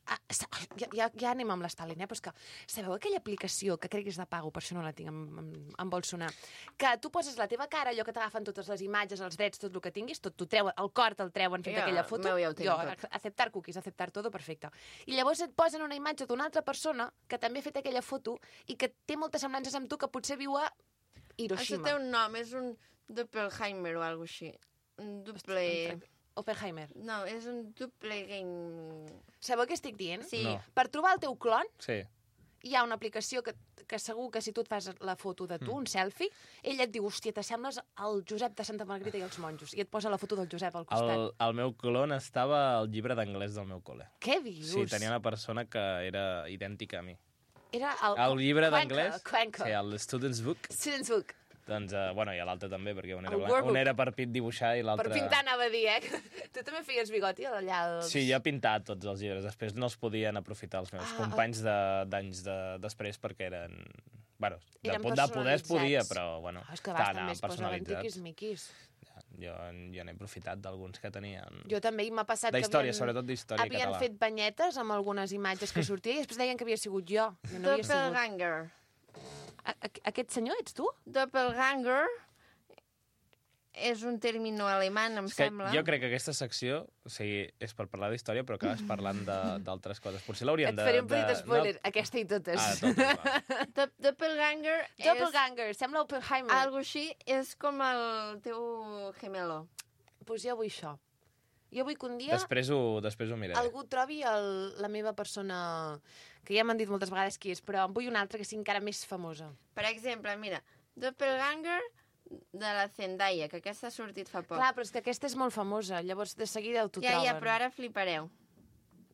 Ah, sa- ja, ja, ja anem amb l'Stalin, eh? Però és que, sabeu aquella aplicació, que crec que és de pago, per això no la tinc, em, em, em vol sonar, que tu poses la teva cara, allò que t'agafen totes les imatges, els drets, tot el que tinguis, tot t'ho treuen, el cor te'l treuen fent Ja, aquella foto. meu, ja ho tinc jo, tot. aceptar cookies, aceptar todo, perfecte. I llavors et posen una imatge d'una altra persona que també ha fet aquella foto i que té moltes semblances amb tu, que potser viu a Això Hiroshima. té un nom, és un Doppelheimer o alguna així. Un doble... Oppenheimer. No, és un doble game... Sabeu què estic dient? Sí. No. Per trobar el teu clon, Sí. hi ha una aplicació que, que segur que si tu et fas la foto de tu, mm. un selfie, ell et diu, hòstia, t'assembles al Josep de Santa Margarita i els monjos, i et posa la foto del Josep al costat. El, el meu clon estava al llibre d'anglès del meu col·le. Què dius? Sí, tenia una persona que era idèntica a mi. Era el... El llibre Cuenca, d'anglès, Cuenca. sí, el Student's Book, Student's Book. doncs, uh, bueno, i l'altre també, perquè un era, El blanc, Workbook. un era per pit dibuixar i l'altre... Per pintar anava a dir, eh? Tu també feies bigoti allà als... Sí, jo he pintat tots els llibres, després no els podien aprofitar els meus Ah, companys de- d'anys de, després perquè eren... Bueno, de, Eren po- de poder es podia, personalitzats. però, bueno, Ah, és que a vegades estaven també es posaven personalitzats. tiquis-miquis. Jo, jo n'he aprofitat d'alguns que tenien... Jo també, i m'ha passat De que història, havien, sobretot d'història havien català. fet banyetes amb algunes imatges que sortia i després deien que havia sigut jo. I no havia sigut. Doppelganger. A, a, aquest senyor ets tu? Doppelganger és un término alemany, em És que sembla. jo crec que aquesta secció, o sigui, és per parlar d'història, però acabes parlant de- d'altres coses. Potser l'hauríem Et de... faré un de- petit spoiler, aquesta i totes. Ah, de totes, va. Dop- Doppelganger és... Doppelganger, sembla Oppenheimer. Algo així és com el teu gemelo. Pues jo vull això. Jo vull que un dia Després ho, després ho miraré. algú trobi el, la meva persona, que ja m'han dit moltes vegades qui és, però en vull una altra que sigui encara més famosa. Per exemple, mira, Doppelganger de la Zendaya, que aquesta ha sortit fa poc. Clar, però és que aquesta és molt famosa, llavors de seguida ho t'ho ja, troben. ja, però ara flipareu.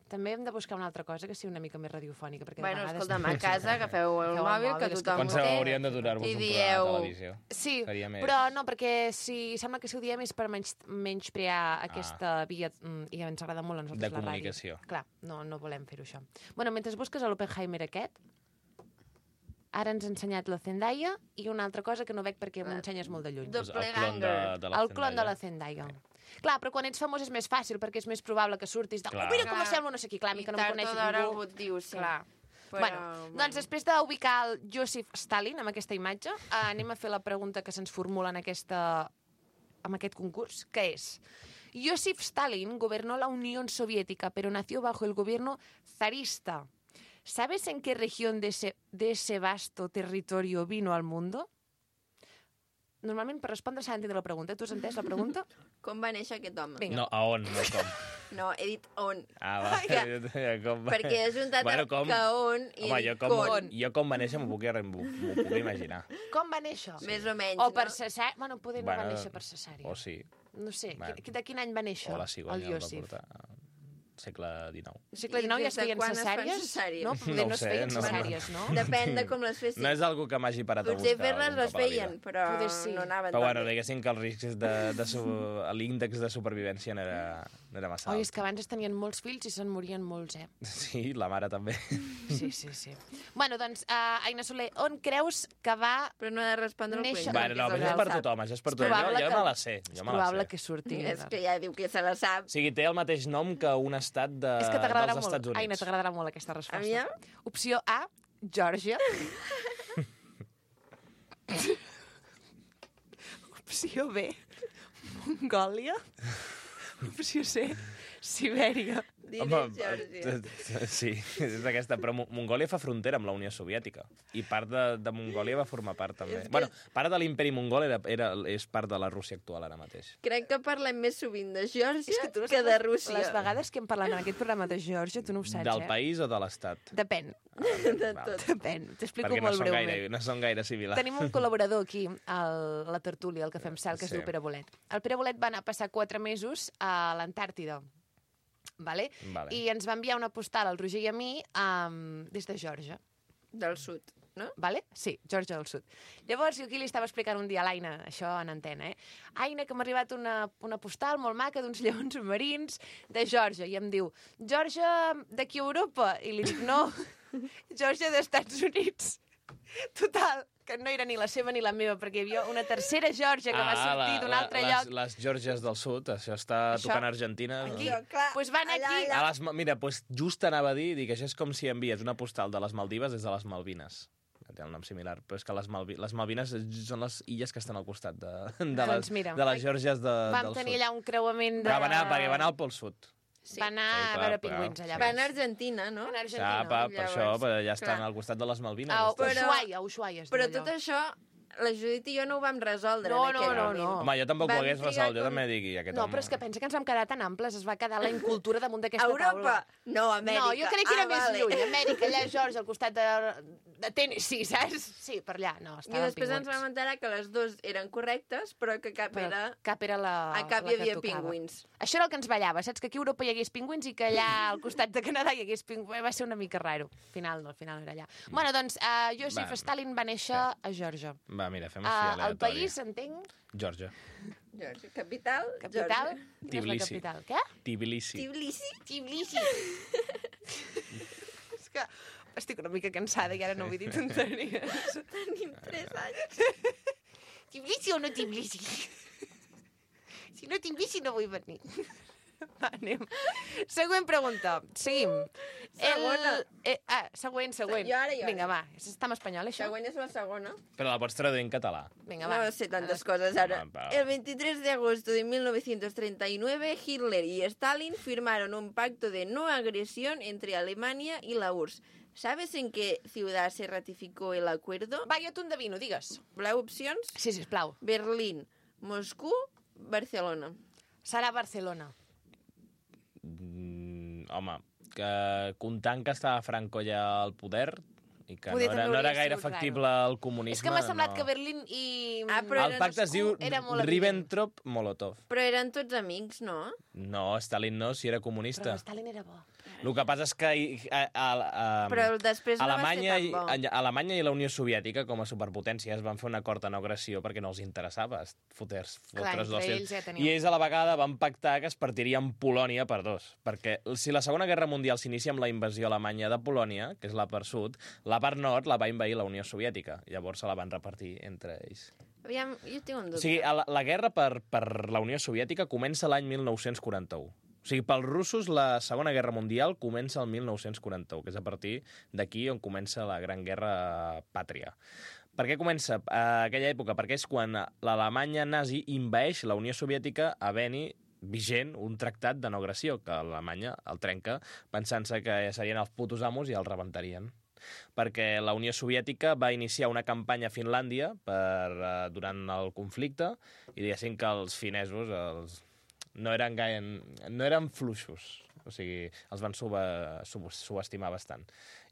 També hem de buscar una altra cosa que sigui una mica més radiofònica, perquè Bueno, de vegades... escolta'm, a casa agafeu el Agafeu el mòbil, mòbil, que és que tothom Penseu, ho té. hauríem de donar-vos I un dieu- programa de televisió. Sí, Seria més- però no, perquè si, sembla que si ho diem és per menys, menysprear aquesta via, mm, i ens agrada molt a nosaltres De la ràdio. comunicació. Clar, no, no volem fer-ho això. Bueno, mentre busques l'Oppenheimer aquest, ara ens ha ensenyat la Zendaya i una altra cosa que no veig perquè m'ho ensenyes molt de lluny. Do- Doncs el clon de, de la El clon de la Zendaya. Zendaya. Clar, però quan ets famós és més fàcil, perquè és més probable que surtis de... Clar. Oh, mira com Clar. sembla no sé qui, clar, a mi I que no em tard o coneixes d'hora ningú. algú et diu, sí. Clar. Però, bueno, doncs després d'ubicar el Joseph Stalin amb aquesta imatge, eh, anem a fer la pregunta que se'ns formula en, aquesta, en aquest concurs, que és: Joseph Stalin gobernó la Unión Soviética, pero nació bajo el gobierno zarista. ¿Sabes en qué región de ese, de ese vasto territorio vino al mundo? Normalment, per respondre, s'ha d'entendre la pregunta. Tu has entès la pregunta? Com va néixer aquest home? Vinga. No, a on, no com. No, he dit on. Ah, va. Ja. com va. Perquè he juntat Bueno, el com? que on i Home, he jo dit com, con. jo com va néixer m'ho puc, m'ho m'ho puc imaginar. Com va néixer? Més o menys, O per no? cesària? Bueno, poder no Bueno, va néixer per cesària. O sí. No sé, Bueno. qui- de quin any va néixer O la el cigonya el va Joseph? portar. Segle dinou. Al segle I dinou ja des es de feien quan es fan cesàries? cesàries? No, No poder ho no es sé, feien no. cesàries, no? Depèn de com les fessin. No és algo que m'hagi parat a Potser buscar. fer-les algun les cop a la vida. feien, però Poder sí. no anaven Però tan bueno, bé. diguéssim que els riscs de, de su... l'índex de supervivència no era, no era massa Oi, alt. és que abans es tenien molts fills i se'n morien molts, eh? Sí, la mare també. Sí, sí, sí. Bueno, doncs, uh, Aina Soler, on creus que va... Però no he de respondre el Néixer- Cuenca, Bueno, no, que però és això el és per que el tothom, això és per És tothom. Jo, probable jo que- me la sé, És jo me la probable sé. que surti. sap. És que ja diu que se la sap. O sigui, té el mateix nom que un estat de, És que t'agradarà dels molt. Estats Units. Aina, t'agradarà molt aquesta resposta. Aviam. Opció A, Geòrgia. Opció B, Mongòlia. Opció C, Sibèria. Digues, Home, Geòrgia. t- t- sí, és aquesta. Però Mo- Mongòlia fa frontera amb la Unió Soviètica. I part de, de Mongòlia va formar part, també. És que- Bueno, part de l'imperi mongol era, era, és part de la Rússia actual, ara mateix. Crec que parlem més sovint de Geòrgia És que tu no que saps de les- Rússia. Les vegades que hem parlat en aquest programa de Geòrgia, tu no ho saps, Del eh? país o de l'estat? Depèn, De Val. tot. depèn. T'explico Perquè no molt són, breument. gaire, no són gaire similars. Tenim un col·laborador aquí, al, a la tertúlia, al Cafè amb Cel, que es Sí. diu Pere Bolet. El Pere Bolet va anar a passar quatre mesos a l'Antàrtida, vale? Vale. I ens va enviar una postal al Roger i a mi um, des de Geòrgia. Del sud, no? Vale? Sí, Geòrgia del Sud. Llavors, jo aquí li estava explicant un dia a l'Aina, això en antena, eh? Aina, que m'ha arribat una, una postal molt maca d'uns lleons marins de Geòrgia. I em diu, Geòrgia d'aquí a Europa? I li dic, no, Geòrgia d'Estats Units. Total, que no era ni la seva ni la meva, perquè hi havia una tercera Geòrgia que va sortir d'un altre les, lloc. Les Geòrgies del Sud, això està Això? tocant a Argentina. Aquí. Jo, clar, Pues van allà, aquí- allà. A les, Ma- mira, pues just anava a dir, dic, això és com si envies una postal de les Maldives des de les Malvines. Té un nom similar, però és que les, Malvi les Malvines són les illes que estan al costat de, de, les, Doncs mira, de les Geòrgies de, Vam del tenir Sud. allà un creuament de... Va anar, perquè va anar al Pol Sud. Sí. Va anar Sí, a clar, veure clar. pingüins allà. Va baix. anar a Argentina, no? Va anar a Ja, Argentina. pa, per Llavors, això, però ja estan clar. al costat de les Malvines. A estan. Però- Ushuaia, a Ushuaia es Però diu tot allò. això, la Judit i jo no ho vam resoldre No, en no, aquell no, moment. no. Home, jo tampoc ho Vam hagués trigar resolt, jo com- també dic, i aquest No, home... però és que pensa que ens vam quedar tan amples, es va quedar la incultura damunt d'aquesta Europa? taula. No, Amèrica. No, jo crec que era ah, més vale. lluny. Amèrica, allà a Georgia, al costat de, de Tennessee, saps? Sí, per allà. No, I estaven després ens pingüins. vam enterar que les dues eren correctes, però que cap Però era... cap era la, A cap la hi que havia tocava. pingüins. Això era el que ens ballava, saps? Que aquí a Europa hi hagués pingüins i que allà al costat de Canadà hi hagués pingüins. Va ser una mica raro. Al final no, al final no era allà. Bueno, doncs, uh, Joseph Va. Stalin va néixer a Geòrgia. Va, mira, fem així Uh, aleatori. el país, entenc? Geòrgia. Geòrgia. Capital? Capital? Geòrgia. Quina és la Tbilisi. capital? Què? Tbilisi. Tbilisi? Tbilisi. És que estic una mica cansada i ara no vull dir tonteries. Tenim tres anys. Tbilisi o no Tbilisi? Si no tinc bici no vull venir. Va, anem. Següent pregunta. Seguim. Segona. El... Eh, ah, següent, següent. Jo ara, jo ara. Vinga, va. Està en espanyol, això? Següent és la segona. Però la pots traduir en català. Vinga, va. No sé tantas cosas ahora. Ah, va. El veintitrés de agosto de mil novecientos treinta y nueve, Hitler y Stalin firmaron un pacto de no agresión entre Alemania y la U R S S. ¿Sabes en qué ciudad se ratificó el acuerdo? Va, jo t'ho endevino, digues. Blau opcions: Sí, sisplau. Berlín, Moscú, Barcelona. Serà Barcelona. Mm, home, que comptant que estava Franco ja al poder i que no Poder era, també no era hauria gaire sigut factible el comunisme... És que m'ha semblat no. que Berlín i... Ah, però El pacte es diu Moscou era molt evident. Ribbentrop-Molotov. Però eren tots amics, no? No, Stalin no, si era comunista. Però Stalin era bo. El que passa és que a, a, a, Però després no Alemanya, va ser tan bo. i, Alemanya i la Unió Soviètica, com a superpotències, van fer un acord de no agressió perquè no els interessava fotre-s Clar, fotre entre ells ja tenien- I ells a la vegada van pactar que es partirien Polònia per dos. Perquè si la Segona Guerra Mundial s'inicia amb la invasió alemanya de Polònia, que és la part sud, la part nord la va invair la Unió Soviètica. Llavors se la van repartir entre ells. Aviam, jo tinc un O dubte. sigui, la, la guerra per, per la Unió Soviètica comença l'any mil nou-cents quaranta-u. O sigui, pels russos la Segona Guerra Mundial comença el mil nou-cents quaranta-u, que és a partir d'aquí on comença la Gran Guerra Pàtria. Per què comença a aquella època? Perquè és quan l'Alemanya nazi invaeix la Unió Soviètica havent-hi vigent un tractat de no agressió, que Alemanya el trenca pensant-se que serien els putos amos i el rebentarien. Perquè la Unió Soviètica va iniciar una campanya a Finlàndia per, uh, durant el conflicte i diguéssim que els finesos els... no eren gaire... no eren fluixos, o sigui, els van sub sub subestimar bastant.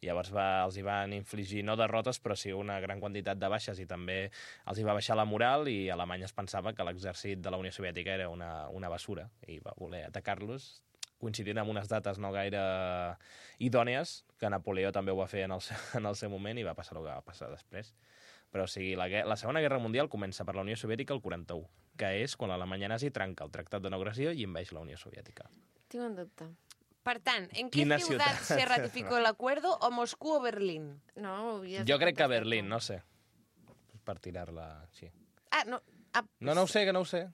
Llavors va, els hi van infligir no derrotes, però sí una gran quantitat de baixes i també els hi va baixar la moral i Alemanya es pensava que l'exèrcit de la Unió Soviètica era una, una basura i va voler atacar-los coincidint amb unes dates no gaire idònies, que Napoleó també ho va fer en el seu, en el seu moment i va passar el que va passar després. Però o sigui, la, la Segona Guerra Mundial comença per la Unió Soviètica el quaranta-u, que és quan l'Alemanya nazi trenca el Tractat de no agressió i envaeix la Unió Soviètica. Tinc un dubte. Per tant, ¿en qué Quina ciudad ciutat? se ratificó el acuerdo? ¿O Moscú o Berlín? No, ho havies Jo de crec que contestar Berlín, tu. no sé. Per tirar-la així. Ah, no. Ah, No, no ho sé, que no ho sé.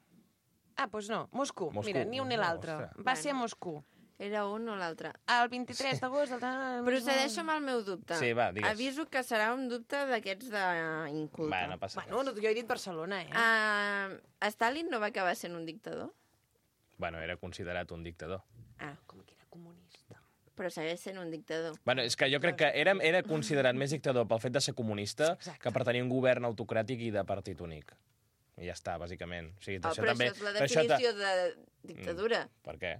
ah pues no. Moscú. Moscú. Mira, ni un ni l'altre. Ostres. Va ser a Bueno. Moscú. Era un o l'altre. El vint-i-tres d'agost del... Procedeixo amb el meu dubte. Sí, va, digues. Aviso que serà un dubte d'aquests d'inculte. Va, no passa Bueno, res. jo he dit Barcelona, eh? Uh, Stalin no va acabar sent un dictador? Bueno, era considerat un dictador. Ah, Com que era comunista. però segueix sent un dictador. Bueno, és que jo crec que era, era considerat més dictador pel fet de ser comunista Exacte. que per tenir un govern autocràtic i de partit únic. I ja està, bàsicament. O sigui, Oh, això però també... això és la però això ta- definició de dictadura. Per què?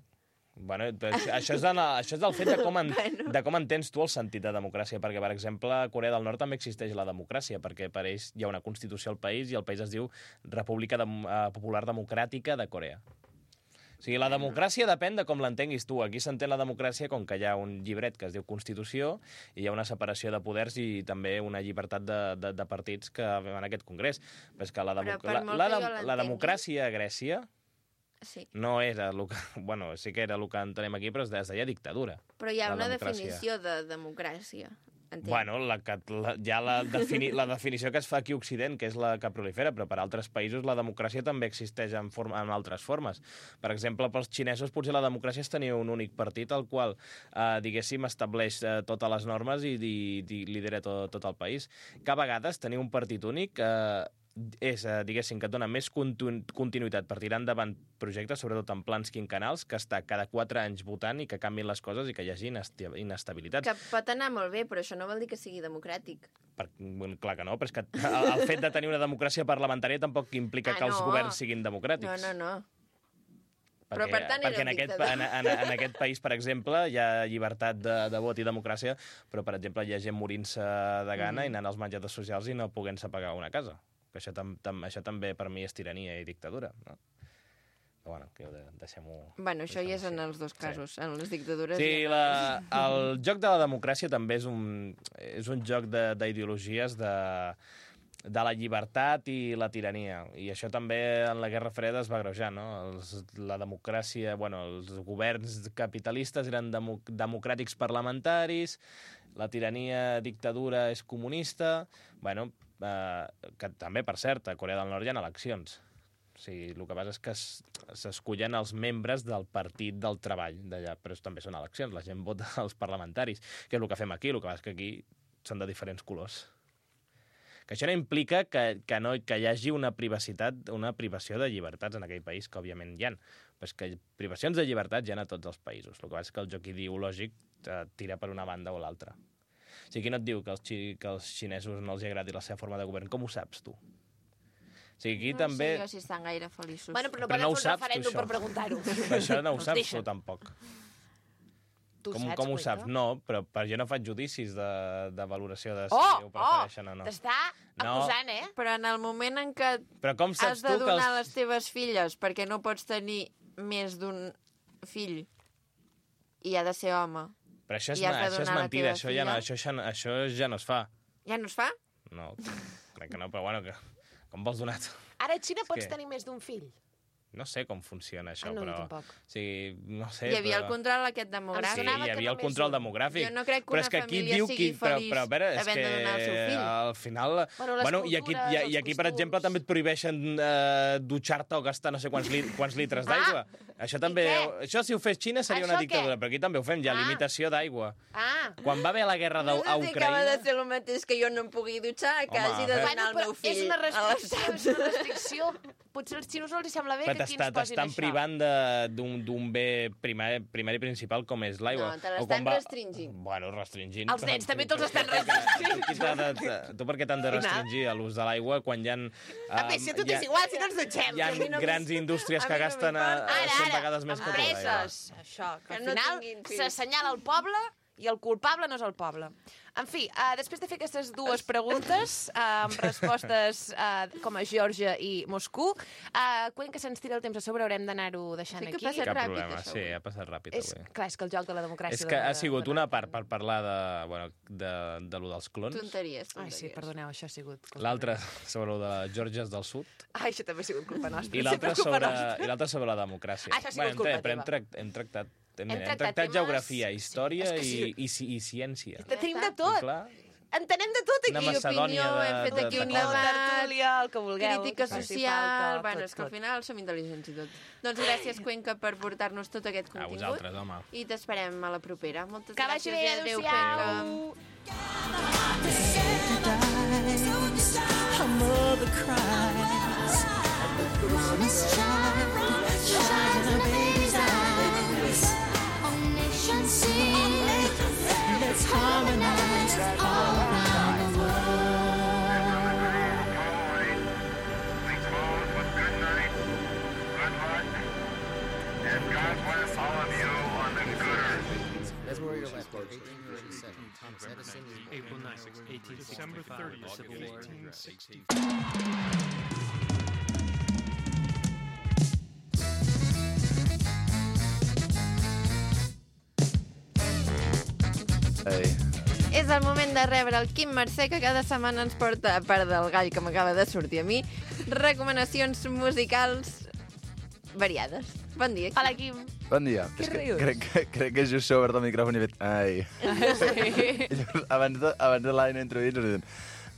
Bueno, però això, això, és de, la- això és del fet de com, en, de com entens tu el sentit de democràcia, perquè, per exemple, a Corea del Nord també existeix la democràcia, perquè per ells hi ha una constitució al país i el país es diu República Dem eh, Popular Democràtica de Corea. O sigui, la democràcia depèn de com l'entenguis tu. Aquí s'entén la democràcia com que hi ha un llibret que es diu Constitució i hi ha una separació de poders i també una llibertat de, de, de partits que en aquest congrés. Però és que la, Però democ per la, molt la, que jo la, la l'entengui- democràcia a Grècia Sí. no era el que... Bueno, sí que era el que entenem aquí, però es deia, es deia dictadura. Però hi ha La una democràcia. definició de democràcia. Entenc. Bueno, la, que, la, hi ha la, defini, la definició que es fa aquí a Occident, que és la que prolifera, però per altres països la democràcia també existeix en, forma, en altres formes. Per exemple, pels xinesos potser la democràcia és tenir un únic partit al qual, eh, diguéssim, estableix eh, totes les normes i, i, i lidera tot, tot el país. Que a vegades tenir un partit únic eh, és, eh, diguéssim, que et dona més continu continuïtat per tirar endavant projectes, sobretot en plans quinquennals, que està cada quatre anys votant i que canvin les coses i que hi hagi inesti inestabilitats. Que pot anar molt bé, però això no vol dir que sigui democràtic. Per, bueno, clar que no, però és que el, el fet de tenir una democràcia parlamentària tampoc implica Ah, que els no. governs siguin democràtics. No, no, no. Perquè, Però, per tant, era perquè un en aquest, dictador. en, en, en aquest país, per exemple, hi ha llibertat de, de vot i democràcia, però, per exemple, hi ha gent morint-se de gana mm. i anant als menjadors socials i no podent-se pagar una casa. Que això, tam, tam, això també per mi és tirania i dictadura, no? Però bueno, que de, deixem-ho... Bueno, això ja és en així. els dos casos, en les dictadures. Sí, i en la, el joc de la democràcia també és un, és un joc d'ideologies de, de la llibertat i la tirania. I això també en la Guerra Freda es va agreujar, no? Els, la democràcia, bueno, els governs capitalistes eren demo, democràtics parlamentaris, la tirania, dictadura és comunista... Bueno, eh, que també, per cert, a Corea del Nord hi ha eleccions. O sigui, el que passa és que s'escullen els membres del partit del treball d'allà, però també són eleccions, la gent vota als parlamentaris, que és el que fem aquí, el que passa és que aquí són de diferents colors. Que això no implica que, que, no, que hi hagi una privacitat, una privació de llibertats en aquell país, que òbviament hi ha. Però és que privacions de llibertats hi ha a tots els països. El que passa és que el joc ideològic eh, tira per una banda o l'altra. O sigui, qui no et diu que als, xi, que als xinesos no els agradi la seva forma de govern? Com ho saps, tu? O sigui, aquí no també... sé jo si estan gaire feliços. Bueno, però no Però poden no ho fer un saps, tu, referèndum això. per preguntar-ho. Però això no ho Els saps deixen. tu, tampoc. Tu Com, saps, com ho Cuenca? saps? No, però per, jo no faig judicis de, de valoració de si Oh, ho prefereixen oh, o no. t'està No. acusant, eh? Però en el moment en què Però com saps has de tu que donar els... les teves filles perquè no pots tenir més d'un fill i ha de ser home, Però això és, i has de això és donar la mentida, teva això ja, no, filla? això, ja, no- això ja no es fa. ja no es fa? No, crec que no, però bueno, que, com vols donar? Ara a Xina pots que- tenir més d'un fill. No sé com funciona això, Ah, no, jo però... tampoc. O sigui, no sé, Hi havia però... el control aquest Sí, demogràfic. sonava hi que havia el només control un. demogràfic. Jo no crec que però una és que aquí família diu sigui qui... Però, feliç però a veure, és havent que de donar el seu fill. al final... Bueno, les bueno, i aquí, cultures, i, els i aquí, per costums. exemple, també et prohibeixen eh, dutxar-te o gastar no sé quants, li, quants litres d'aigua. Això també... què? Això, si ho fes Xina, seria una Això què? dictadura, però aquí també ho fem, ja, Ah. limitació d'aigua. Ah, Quan va haver la guerra No d'U- a sé si acaba de Ucraïna... ser el mateix que jo no em pugui dutxar, que Home, hagi de a veure. donar el però meu fill és una a restricció, l'estat. és una restricció. Potser als xinos no els sembla bé Però que aquí t'està- ens posin t'estan això. privant de- d'un d'un bé primari, primari principal com és l'aigua. No, te O l'estan quan va- restringint. Bueno, restringint. Els però- nens també te'ls però- estan però- restringint. Tu, t'ha de- te- tu per què t'han de restringir a l'ús de l'aigua quan hi ha... A més, si a tu t'és igual, si no ens dutxem. Hi ha a mi no grans m'hi- indústries a que mi no gasten a, m'importa. Ara, cent ara, vegades més que tu d'aigua. empreses, això, que Que al no final tinguin fills. s'assenyala el poble i el culpable no és el poble. En fi, uh, després de fer aquestes dues preguntes, uh, amb respostes uh, com a Geòrgia i Moscou, uh, Cuenca se'ns tira el temps a sobre, haurem d'anar-ho deixant Sí que aquí. passa Cap ràpid, problema, això, sí, avui. ha passat ràpid És, avui. clar, és que el joc de la democràcia... És que de- ha sigut de- una part per parlar de, bueno, de, de lo dels clons, Tonteries, Ai, tonteries. sí, perdoneu, això ha sigut... l'altra sobre lo de les Georgies del Sud Ai, això també ha sigut culpa nostra. i l'altra Sempre culpa sobre, nostra. i l'altra sobre la democràcia. Ah, això ha sigut hem, culpa tra- però hem, teva. tract, hem tractat, hem, Hem hem tractat tractat temes- geografia, sí, història és que i, sí. i, i, i ciència. Tenim de I tot. clar, Entenem de tot una aquí. Macedònia opinió, de, hem fet de, aquí de un coses. debat. tertúlia, el que vulgueu. Crítica el que faci social... falta, Bueno, tot, és que al tot. final som intel·ligents i tot. Doncs gràcies, Cuenca, per portar-nos tot aquest A contingut. vosaltres, home. I t'esperem a la propera. Moltes Que vagi gràcies bé, i adéu, adéu-siau. Cuenca. Her mother cries. Mama's child, shine in her baby's eyes. All nations sing. Let's harmonize all around the world. Please close with good night, good luck, and God bless all of you on the good earth. That's where you're left. eighteen thirty-seven. Thomas Edison is born. April ninth, eighteen sixty-five, the Civil War. Ei. És el moment de rebre el Quim Mercè, que cada setmana ens porta, a part del gall que m'acaba de sortir a mi, recomanacions musicals variades. Bon dia, Quim. Hola, Quim. Bon dia. Què És que rius? crec, que, crec que just s'ha obert el micròfon i he fet... Ai. I llavors, abans de, abans de l'Aina introduir ens he dit...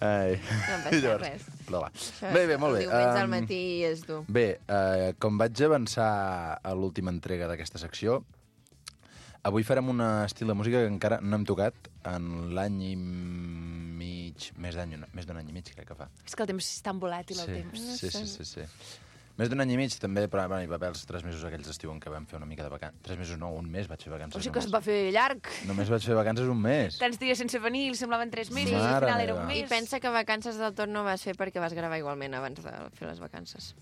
Ai. No I passa llavors, res. Però va. Això Bé, bé, molt bé. El diumenge al Um, matí és dur. Bé, uh, com vaig avançar a l'última entrega d'aquesta secció, avui farem un estil de música que encara no hem tocat en l'any i mig... Més d'any, més d'un any i mig, crec que fa. És que el temps és tan volàtil, el Sí, temps. sí, sí, sí, sí. Més d'un any i mig també, però bueno, hi va haver els tres mesos aquells d'estiu en què vam fer una mica de vacances. Tres mesos no, un mes vaig fer vacances O sigui que es només. va fer llarg. Només vaig fer vacances un mes. Tants dies sense venir, li semblaven tres mesos, i al Mare final era un meva. mes. I pensa que vacances del tot no vas fer perquè vas gravar igualment abans de fer les vacances.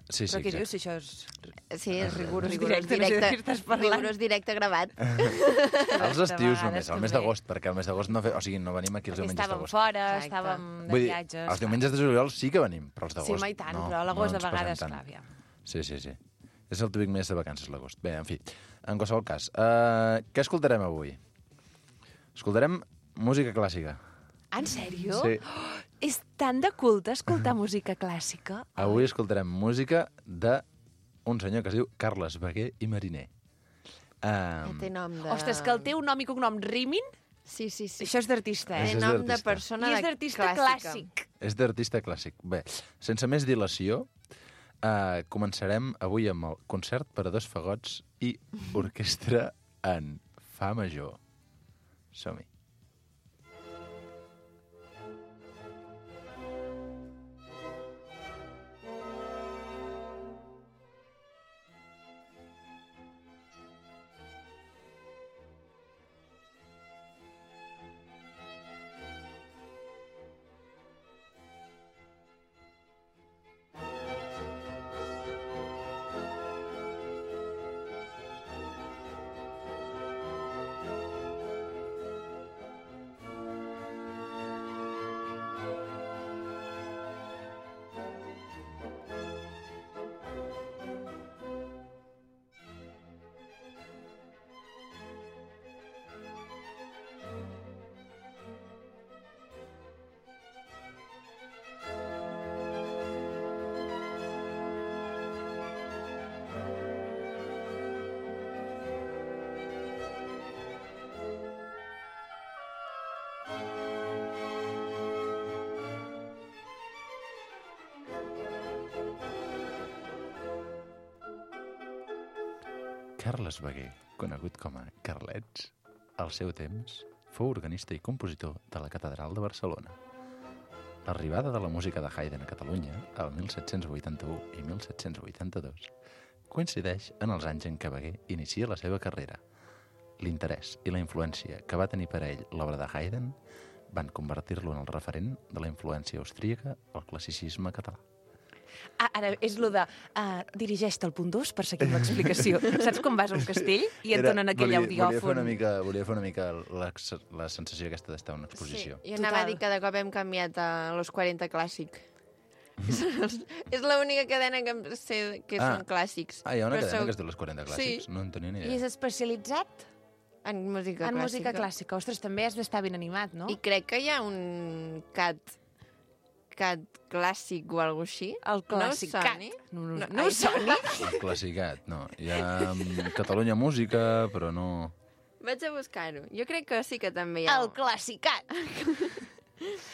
Sí, sí, Però què exacte. dius, si això és... Sí, és rigorós, Rigorós rigorós directe, no sé de directe, què estàs parlant. rigorós directe gravat. Els estius vegades només, el mes també. d'agost, perquè el mes d'agost no fe... O sigui, no venim aquí els Perquè diumenges estàvem d'agost. fora, Exacte. estàvem de Vull dir, viatges... els diumenges de juliol sí que venim, però els Sí, d'agost home, i tant, no, però a l'agost no de ens passem vegades, tant. clar, aviam. Sí, sí, sí. És el típic mes de vacances, l'agost. Bé, en fi, en qualsevol cas. Uh, què escoltarem avui? Escoltarem música clàssica. En sèrio? Sí. Oh, és tan de culte escoltar música clàssica. Avui escoltarem música de un senyor que es diu Carles Baguer i Mariner. Ja Um, té nom de... Ostres, que el teu nom i cognom rimin, Sí, sí, sí. això és d'artista, Té eh? és nom de d'artista. persona I és de d'artista clàssica. clàssic. és d'artista clàssic. Bé, sense més dilació, Uh, començarem avui amb el concert per a dos fagots i orquestra en fa major. Som-hi. Carles Baguer, conegut com a Carlets, al seu temps fou organista i compositor de la Catedral de Barcelona. L'arribada de la música de Haydn a Catalunya, el mil set-cents vuitanta-u i mil set-cents vuitanta-dos, coincideix en els anys en què Baguer inicia la seva carrera. L'interès i la influència que va tenir per a ell l'obra de Haydn van convertir-lo en el referent de la influència austríaca al classicisme català. Ah, ara, és lo de uh, dirigeix-te al punt dos per seguir l'explicació. Saps quan vas a un castell i et donen aquell volia, audiòfon? Volia fer una mica, volia fer una mica la, la sensació aquesta d'estar a una exposició. Sí, jo anava a dir que de cop hem canviat a Los quaranta Clàssic. És l'única cadena que em sé que Ah. són clàssics. Ah, hi ha una Però cadena sou- que es diu Los quaranta Clàssics? Sí. No en tenia ni I idea. és especialitzat En música en clàssica. música clàssica. Ostres, també has d'estar ben animat, no? I crec que hi ha un cat cat clàssic o alguna així. El classicat. No us soni? No, no, No, no ai, us soni? El classicat, no. Hi ha um, Catalunya Música, però no... Vaig a buscar-ho. Jo crec que sí que també hi ha. El classicat.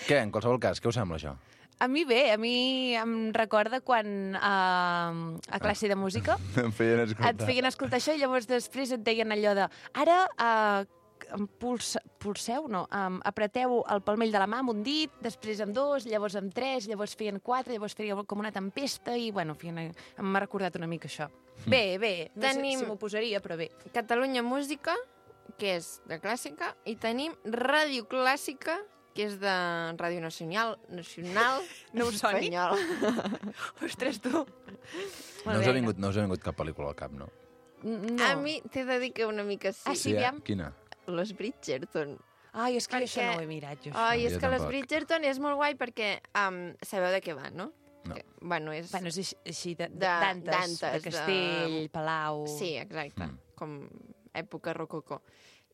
Què, en qualsevol cas, què us sembla això? A mi bé, a mi em recorda quan uh, a classe de música Em feien escoltar. et feien escoltar això i llavors després et deien allò de ara uh, pulse, pulseu, no, um, apreteu el palmell de la mà amb un dit, després amb dos, llavors amb tres, llavors feien quatre, llavors feien com una tempesta i, bueno, feien, m'ha recordat una mica això. Bé, bé, no Tenim- sé si m'ho posaria, però bé. Catalunya Música, que és de clàssica, i tenim Ràdio Clàssica, que és de Ràdio Nacional, Nacional No us soni? Espanyol. Ostres, tu. No us, ha vingut, no us ha vingut cap pel·lícula al cap, no? No. A mi t'he de dir que una mica sí. Ah, sí, eh? aviam. Quina? Los Bridgerton. Ai, és que Perquè- això no ho he mirat, jo. Això. Ai, és Jo que Los tampoc. Bridgerton és molt guai perquè um, sabeu de què va, no? No. Que, bueno, és... Bueno, és així- així de, de, De- d'antes, de, d'antes, castell, de- palau... Sí, exacte, Mm. com època rococó.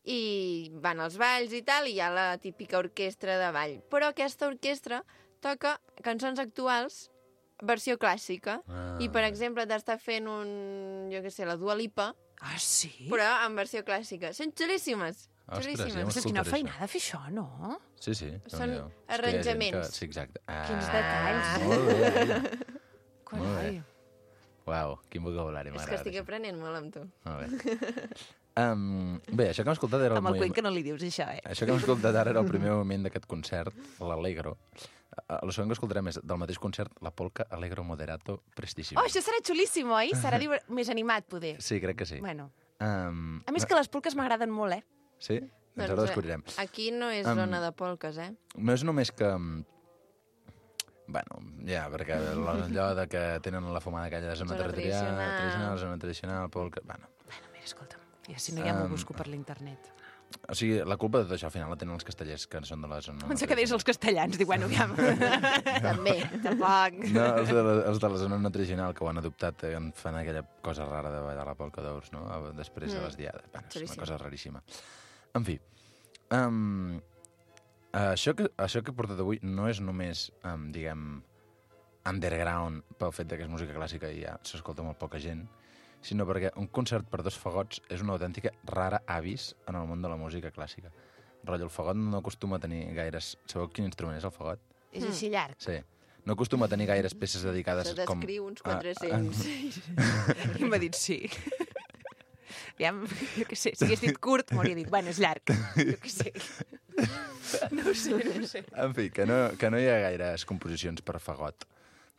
I van als balls i tal, i hi ha la típica orquestra de ball. Però aquesta orquestra toca cançons actuals, versió clàssica. Ah. I, per exemple, t'està fent un, jo què sé, la Dua Lipa, Ah, sí? però en versió clàssica. Són xulíssimes. Ostres, xulíssimes. ja Ostres, quina Escoltaré això. feinada fer això, no? Sí, sí. Són Déu-n'hi-do. És que hi ha gent arranjaments. Que... Sí, exacte. Ah, Quins detalls. Molt bé. Carai. Uau, quin vocabulari, És que m'agrada. estic això. aprenent molt amb tu. Molt bé. Um, bé, això que hem escoltat era el, Amb el moviment- cuent que no li dius, això, eh? Això que hem escoltat ara era el primer moment d'aquest concert, l'Allegro. Uh, El segon que escoltarem és del mateix concert, la polca Allegro Moderato Prestissimo. Oh, això serà xulíssim, oi? Serà diver... més animat, poder. Sí, crec que sí. Bueno. Um, A més que les polques m'agraden molt, eh? Sí? Doncs ara ho descobrirem. Aquí no és Em, zona de polques, eh? No és només que... mm, Bueno, ja, perquè allò de que tenen la fumada aquella de zona, Zona territorial, tradicional. tradicional, zona tradicional, polca... Bueno, Bueno, mira, escolta'm, ja si no ja m'ho Em, busco per l'internet. o sigui, la culpa de tot això al final la tenen els castellers, que són de la zona... Em que deies els castellans, dic, bueno, aviam. També. Tampoc. No, els de, la, els de la zona no tradicional que ho han adoptat eh, en fan aquella cosa rara de ballar la polca d'ous, no? A- Després de Mm. les diades. Bueno, és Xulíssim. una cosa raríssima. En fi, um, això, que, això que he portat avui no és només, um, diguem, underground pel fet de que és música clàssica i ja s'escolta molt poca gent, sinó perquè un concert per dos fagots és una autèntica rara avis en el món de la música clàssica. Rotllo, el fagot no acostuma a tenir gaires... Sabeu quin instrument és el fagot? És així llarg. Sí. no acostumo a tenir gaires peces dedicades Se com... descriu uns a- quatre-cents. I m'ha dit sí. Ja, jo què sé, si hagués dit curt, m'hauria dit, bueno, és llarg. Jo què sé. No ho sé, no ho sé. En fi, que no, que no hi ha gaires composicions per fagot.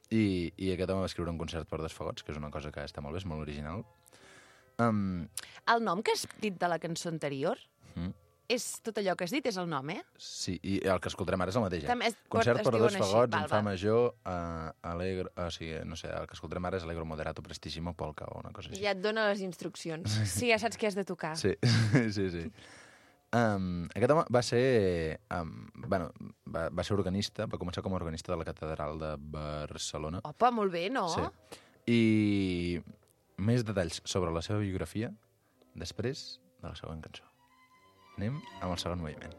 I, i aquest home va escriure un concert per dos fagots, que és una cosa que està molt bé, és molt original. Um, El nom que has dit de la cançó anterior, mm, és tot allò que has dit, és el nom, eh? sí, i el que escoltarem ara és el mateix. Eh? També es- Concert es per a dos diuen així, fagots, val, en fa val. major, uh, alegro... O sigui, no sé, el que escoltarem ara és Allegro moderato prestissimo polka o una cosa així. Ja et dona les instruccions. Sí, ja saps què has de tocar. Sí, sí, sí. Um, aquest home va ser... Um, bueno, va, va ser organista, va començar com a organista de la Catedral de Barcelona. Opa, molt bé, no? Sí. I més detalls sobre la seva biografia després de la següent cançó. Anem amb el segon moviment.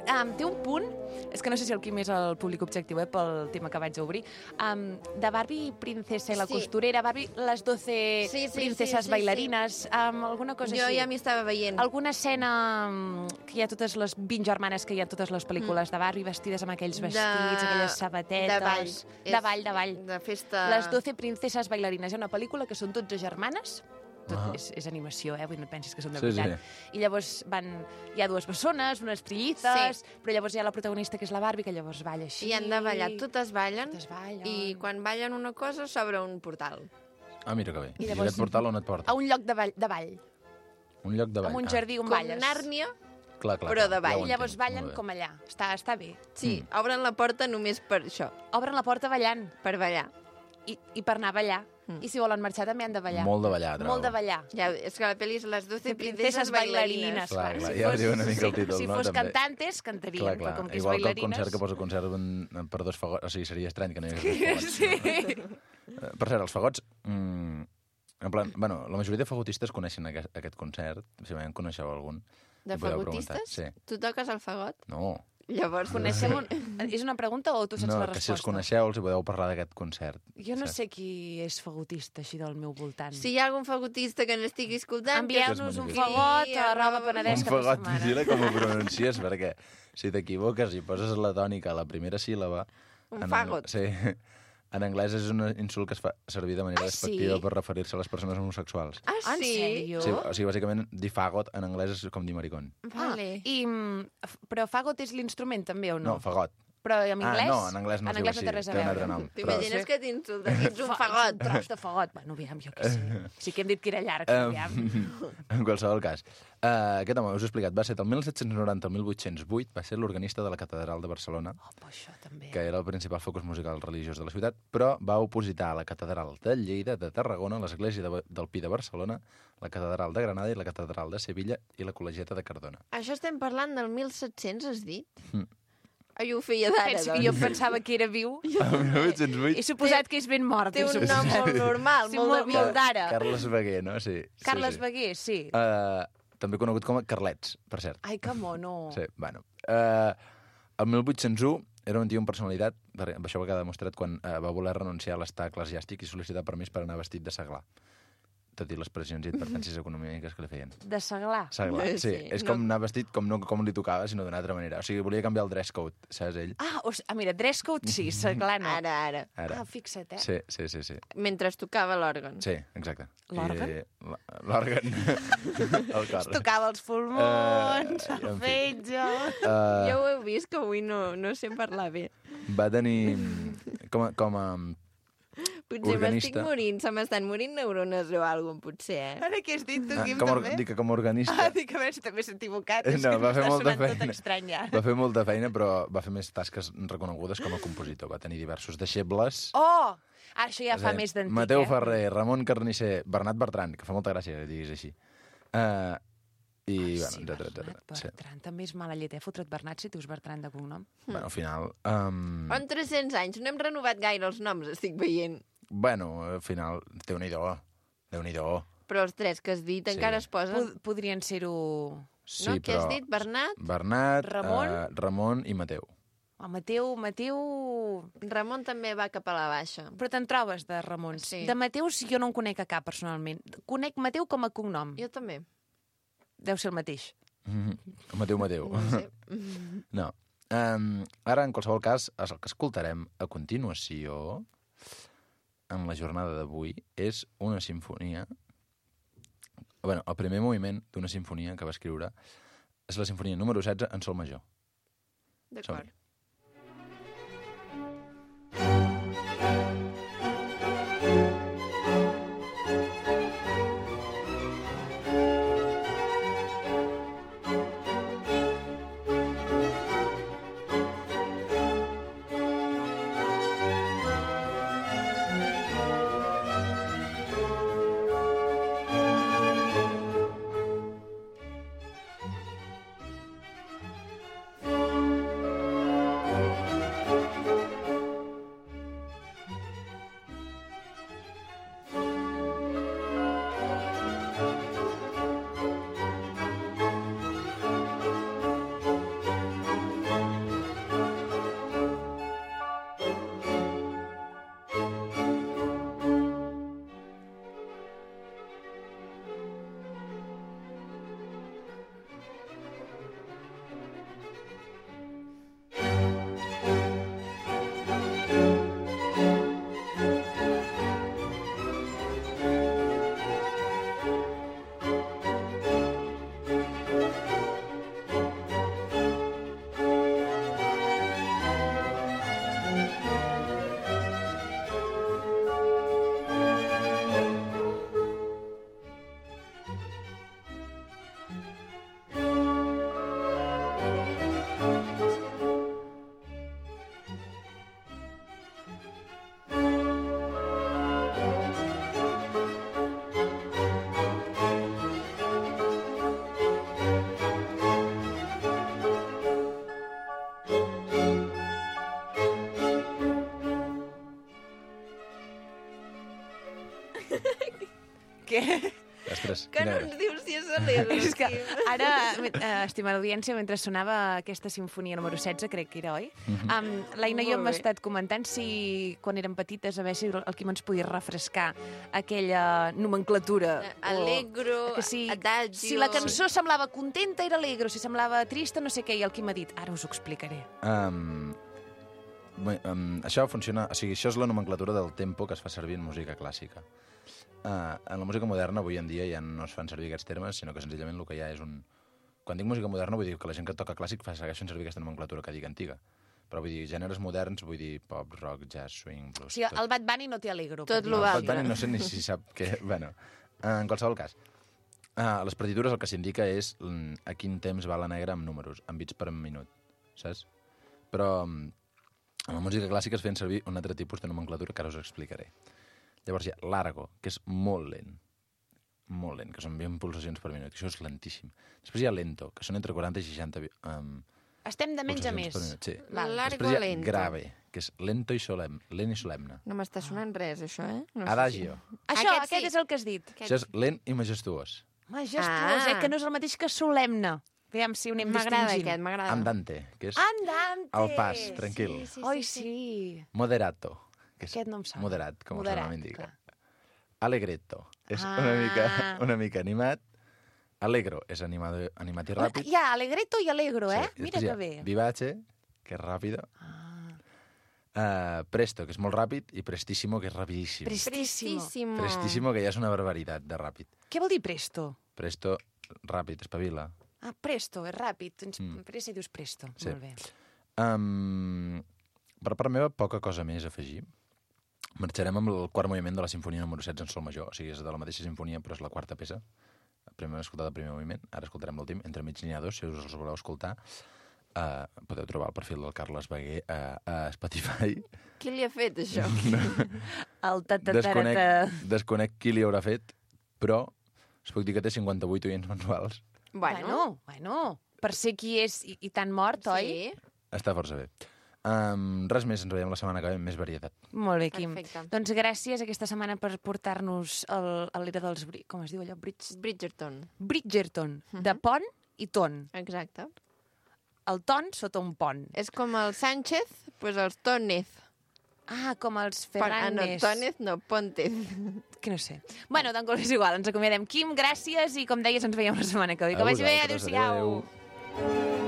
Um, té un punt, és que no sé si el Quim és el públic objectiu, eh, pel tema que vaig a obrir, um, de Barbie princesa i la Sí. costurera, Barbie les doce Sí, sí, princeses sí, sí, bailarines, um, alguna cosa Jo així. ja m'hi estava veient. Alguna escena um, que hi ha totes les vint germanes que hi ha a totes les pel·lícules de Barbie vestides amb aquells vestits, aquelles sabatetes... De ball. De És ball, de ball. De festa... Les doce princeses bailarines. Hi ha una pel·lícula que són dotze germanes, tot Ah. és, és animació, eh? Vull dir, no et pensis que són de Sí, veritat. I llavors van... Hi ha dues bessones, unes trillizes, Sí. però llavors hi ha la protagonista, que és la Barbie, que llavors balla així. I han de ballar, totes ballen, Totes ballen. i quan ballen una cosa s'obre un portal. Ah, mira que bé. I I, llavors- aquest portal on et porta? A un lloc de ball, de ball Un lloc de ball. amb un Ah, jardí on Com balles. Nàrnia, clar, clar, però clar, de ball. ja ho I entenc, llavors ballen molt bé. com allà. Està, està bé. sí, Mm. obren la porta només per això, Obren la porta ballant per ballar. i, i per anar a ballar. Mm. I si volen marxar també han de ballar. Molt de ballar, trobo. Molt de ballar. Ja, és que la pel·li és les doce De princeses bailarines. Clar, clar, Si ja fos- diu una mica el si- títol, si no, fos també. cantantes, cantarien, Clar, però clar. com que és Igual que el bailarines... concert que posa concert en- per dos fagots. O sigui, seria estrany que no hi hagués dos fagots. Sí. Eh, Per cert, els fagots... Mm, en plan, bueno, la majoria de fagotistes coneixen aquest, aquest concert. Si en coneixeu algun. De Ho podeu preguntar. fagotistes? Sí. Tu toques el fagot? No. Llavors, Coneixem un... És una pregunta o tu saps No, la que resposta? si els coneixeu els hi podeu parlar d'aquest concert. Jo no Saps? sé qui és fagotista, així del meu voltant. Si hi ha algun fagotista que n'estigui escoltant... Envieu-nos un magnífic. fagot a arroba Un penedès cap fagot, setmana. vigila com ho pronuncies, perquè si t'equivoques i poses la tònica a la primera síl·laba... Un en fagot. ang- Sí. En anglès és un insult que es fa servir de manera Ah, despectiva sí? per referir-se a les persones homosexuals. Ah, Ah, en sí? sèrio? Sí, o sigui, bàsicament, dir fagot en anglès és com dir maricón. Vale. I, mm, f- però fagot és l'instrument, també, o no? No, fagot. Però en anglès? Ah, no, en anglès no en es diu anglès no així, té res a té un veure. altre nom. T'imagines Però- que t'insulten? Ets un Fa- fagot. Un tros de fagot. Bueno, aviam, jo què sé. Sí que hem dit que era llarg, aviam. Um, en qualsevol cas, uh, aquest home, us ho he explicat, va ser del mil set-cents noranta al mil vuit-cents vuit, va ser l'organista de la Catedral de Barcelona, Oh, però això també. que era el principal focus musical religiós de la ciutat, però va opositar a la Catedral de Lleida, de Tarragona, l'Església de, del Pi de Barcelona, la Catedral de Granada i la Catedral de Sevilla i la Col·legiata de Cardona. Això estem parlant del mil set-cents, has dit? Mm. Ai, ho feia d'ara, Penso doncs. que jo pensava que era viu. El mil vuit-cents vuit, He suposat que és ben mort. Té he un suposat. nom molt normal, Sí, molt, molt, de molt vida. d'ara. Carles Beguer, no? Sí. sí, Carles sí. Beguer, sí. Uh, també conegut com a Carlets, per cert. Ai, que mono. Sí, bueno. Uh, el mil vuit-cents u era un tio amb personalitat, per- això va quedar demostrat quan uh, va voler renunciar a l'estat eclesiàstic i sol·licitar permís per anar vestit de seglar. Tot i les pressions i advertències econòmiques que li feien. De seglar. Seglar, Eh, sí. sí, És no. com anar vestit com no com li tocava, sinó d'una altra manera. O sigui, volia canviar el dress code, saps ell? Ah, o, s- ah, mira, dress code sí, seglar no. Ara, ara. Ara. Ah, fixa't, eh? Sí, sí, sí, sí. Mentre es tocava l'òrgan. Sí, exacte. L'òrgan? I, l- L'òrgan. El cor. Es tocava els pulmons, Eh, el en fi. fetge... Uh, Ja ho heu vist, que avui no, no sé parlar bé. va tenir com a, com a Potser m'estic Organista. morint, se m'estan morint neurones o alguna cosa, potser, eh? Ara què has dit tu, ah, Quim, com, a or- també? dic que com a organista Ah, dic, a veure si també s'ha equivocat. És No, que va fer m'està molta sonant tot feina. estrany, ja. va fer molta feina, però va fer més tasques reconegudes com a compositor. Va tenir diversos deixebles. Oh! Ara això ja És fa a dir, més d'antic, Mateu eh? Ferrer, Ramon Carnisser, Bernat Bertran, que fa molta gràcia que diguis així. Uh, I, Ai, bueno, sí, etcètera, Bernat etcètera. Sí. Bertran. També és mala llet, eh? Fotre't Bernat si dius Bertran de cognom. Bueno, al final... Um, En tres-cents anys, no hem renovat gaire els noms, estic veient. bueno, al final, Déu-n'hi-do. Déu-n'hi-do. Però els tres que has dit Sí. encara es posen... Pod podrien ser-ho... Sí, no? Què has però dit? Bernat? Bernat, Ramon? Uh, Ramon i Mateu. Oh, Mateu, Mateu... Ramon també va cap a la baixa. Però te'n trobes de Ramons. Sí. De Mateus jo no en conec a cap, personalment. Conec Mateu com a cognom. Jo també. Deu ser el mateix. Mm -hmm. Mateu, Mateu. No ho sé. No. Um, ara, en qualsevol cas, el que escoltarem a continuació, en la jornada d'avui, és una sinfonia... bueno, el primer moviment d'una sinfonia que va escriure és la sinfonia número setze en sol major. D'acord. Thank Què? Ostres, Que quina no gràcia. ens dius si és alegre. És que ara, eh, estimada audiència, mentre sonava aquesta sinfonia número setze, crec que era, oi? Um, L'Aina i jo hem Molt bé. estat comentant si, quan érem petites, a veure si el Quim ens podia refrescar aquella nomenclatura. o- Allegro, que si, adagio... si la cançó semblava contenta, era alegre, si semblava trista, no sé què, i el Quim ha dit, ara us ho explicaré. Um, bé, um, això funciona... O sigui, això és la nomenclatura del tempo que es fa servir en música clàssica. Uh, en la música moderna, avui en dia, ja no es fan servir aquests termes, sinó que senzillament el que hi ha és un... Quan dic música moderna, vull dir que la gent que toca clàssic fa segueixen servir aquesta nomenclatura que dic antiga. Però vull dir, gèneres moderns, vull dir pop, rock, jazz, swing, blues... O sigui, el Bad Bunny no té alegro. Tot per lo dir-ho El va- així. Bad Bunny no sé ni si sap què... Bueno, en qualsevol cas, a les partitures el que s'indica és mm, a quin temps va la negra amb números, amb bits per minut, saps? Però mm, en la música clàssica es feien servir un altre tipus de nomenclatura que ara us explicaré. Llavors hi ha l'argo, que és molt lent, molt lent, que són vint pulsacions per minut, això és lentíssim. Després hi ha lento, que són entre quaranta i seixanta um, Estem de menys a pulsacions més. per minut. Sí. Val. Largo Després hi ha lento. grave, que és lento i solemne, lent i solemne. No m'està sonant res, això, eh? No sé Adagio, Això, Aquest aquest, sí. és el que has dit. si- això és lent i majestuós. Majestuós, Ah. eh? Que no és el mateix que solemne. Aviam si ho anem M'agrada distingint. aquest, m'agrada. Andante, que és Andante! al pas, tranquil. Sí, Oi, sí. Moderato, que és Aquest no em sona. moderat, com Moderat, el seu nom indica. clar. Allegretto, és Ah. una, mica, una mica animat. Allegro és animado, animat i ràpid. Hi ha alegreto i alegro, eh? Sí, Mira després hi que ha bé. Vivace, que és ràpido. Ah, Uh, presto, que és molt ràpid. I prestissimo, que és rapidíssim. prestissimo. Prestíssimo. Prestissimo, que ja és una barbaritat de ràpid. Què vol dir presto? Presto, ràpid, espavila. Ah, presto, és ràpid. Tens Mm. pressa i dius presto. Sí. Molt bé. Um, per part meva, poca cosa més a afegir. Marxarem amb el quart moviment de la sinfonia número setze en sol major. O sigui, és de la mateixa sinfonia, però és la quarta peça. Primer hem escoltat el primer moviment, ara escoltarem l'últim. Entre mig n'hi ha dos, si us els voleu escoltar. Uh, podeu trobar el perfil del Carles Beguer a, a Spotify. Qui li ha fet, això? El Desconec, tatatarata... desconec qui li haurà fet, però us puc dir que té cinquanta-vuit oients mensuals. Bueno, bueno, per ser qui és i, i tan mort, oi? Sí, Està força bé. Um, res més, ens veiem la setmana que ve amb més varietat. Molt bé, Quim. Perfecte. Doncs gràcies aquesta setmana per portar-nos el- a l'era dels... Bri- Com es diu allò? Bridge... Bridgerton. Bridgerton, de pont i ton. Exacte. El ton sota un pont. És com el Sánchez, doncs els Tónez. Ah, com els Pon- Ah, no, Ferranes. Tónez no, Póntez. Que no sé. Bueno, doncs és igual, ens acomiadem. Quim, gràcies i com deies ens veiem la setmana que ve. Que A vagi bé, vosaltres, adéu-siau. adéu.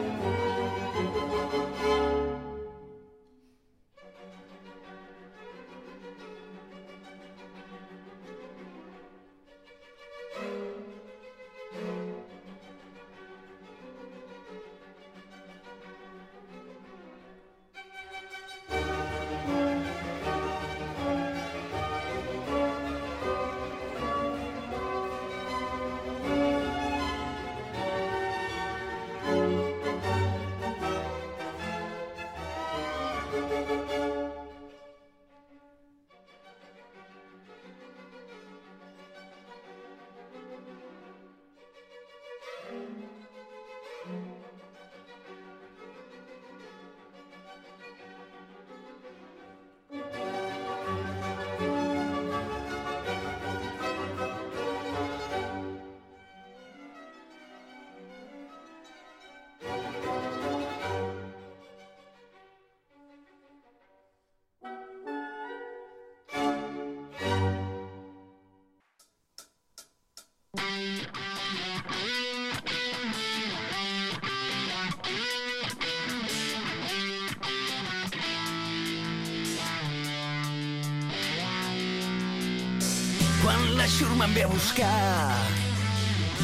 Quan la xurma em ve a buscar,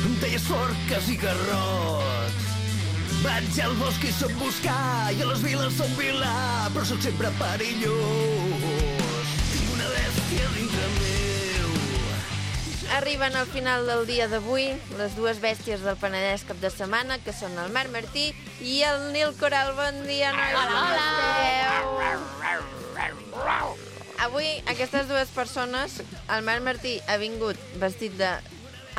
em talles forques i garrots. Vaig al bosc i soc buscar, i a les viles soc vilà, però sóc sempre perillós. Tinc una bèstia dintre meu. Arriben al final del dia d'avui les dues bèsties del Penedès cap de setmana, que són el Marc Martí i el Nil Coral. Bon dia, nois. Hola, hola. Esteu? Avui, aquestes dues persones, el Marc Martí ha vingut vestit de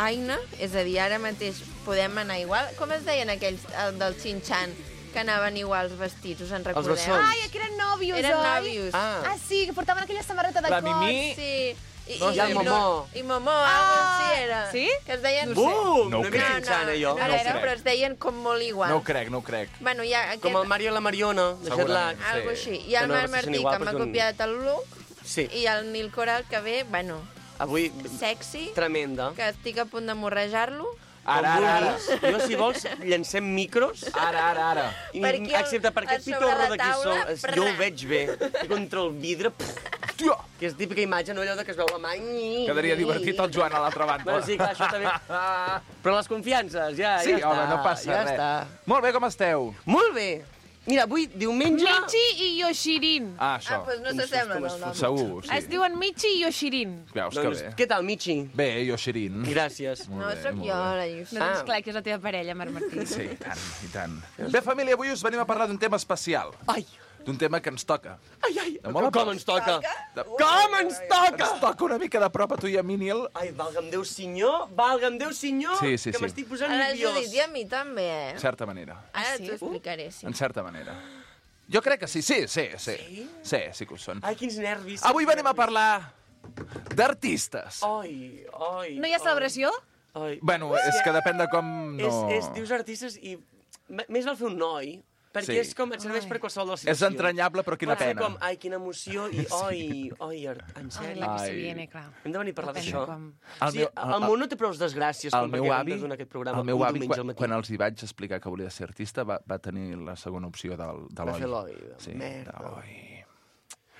Aina, és a dir, ara mateix podem anar igual. Com es deien aquells el del Xinxan, que anaven iguals vestits, us en recordeu? bessons. Ai, que eren nòvios, Eren oi? nòvios. Ah, Ah, sí, que portaven aquella samarreta de La cos. Mimí. Sí, I, No, i, i el no- Momó. I Momó, algo així era. Sí? Que es deien... Bum! No ho No he crec. vist Xana, jo. A No ho veure, crec. però es deien com molt igual. No ho crec, no ho crec. Bueno, hi ha aquest... Com el Mario i la Mariona, de Segurament. Jetlag. Algo Sí. així. Hi ha Que el no Marc sé si són Martí, igual, que m'ha però són- copiat el look, Sí. i el Nil Coral, que ve, bueno, Avui, sexy, tremenda. que estic a punt de morrejar-lo. Ara, Com ara, ara. vulguis. Jo, si vols, llancem micros. Ara, ara, ara. I, Per aquí, al- excepte per a aquest sobre pitorro la d'aquí taula, sol, prrr. jo ho veig bé. I contra el vidre, pff, Hòstia! que és típica imatge, no allò de que es veu la mà. Quedaria divertit el Joan a l'altra banda. Bueno, sí, clar, això també. Però les confiances, ja, Sí, ja està. home, no passa ja res. Està. Molt bé, com esteu? Molt bé. Mira, avui, diumenge... Michi i Yoshirin. Ah, Ah, això. doncs no Com s'assemblen es el nom. Segur, Es sí. diuen Michi i Yoshirin. Veus que Doncs, bé. què tal, Michi? Bé, jo, Xirin. Gràcies. No, Molt bé, sóc molt jo, bé. la Lluís. No tens clar que és la teva parella, Marc Martí. Sí, i tant, i tant. Bé, família, avui us venim a parlar d'un tema especial. Ai, D'un tema que ens toca. ai, ai. De molt a Com prop. ens toca? De- Com ens toca? Ens toca una mica de prop a tu i a mi, Nil. Ai, valga'm Déu senyor, valga'm Déu senyor, Sí, sí, que sí. m'estic posant Ara, nerviós. Judit, i a mi també, eh? En certa manera. Ara sí? t'ho explicaré, sí. En certa manera. Jo crec que sí, sí, sí, sí. Sí, sí que ho són. Ai, quins nervis. Avui venim a parlar d'artistes. Ai, ai. No hi ha celebració? Ai. Bueno, és que depèn de com... No... És, és, dius artistes i... m- Més val fer un noi, perquè Sí. és com, et serveix per qualsevol de les És situacions. entranyable, però quina Pot ser pena. com, ai, quina emoció, i oi, oi, art- en Ai, sèrio. la que se Ai. viene, clar. Hem de venir a parlar Depèn d'això. de com. El Sí, meu- el món no té prou desgràcies El com meu perquè avi, hem de donar aquest programa el meu un avi diumenge al quan, matí. quan els hi vaig explicar que volia ser artista, va, va tenir la segona opció del, de Va l'oi. fer l'oi, de Sí, merda. d'oi.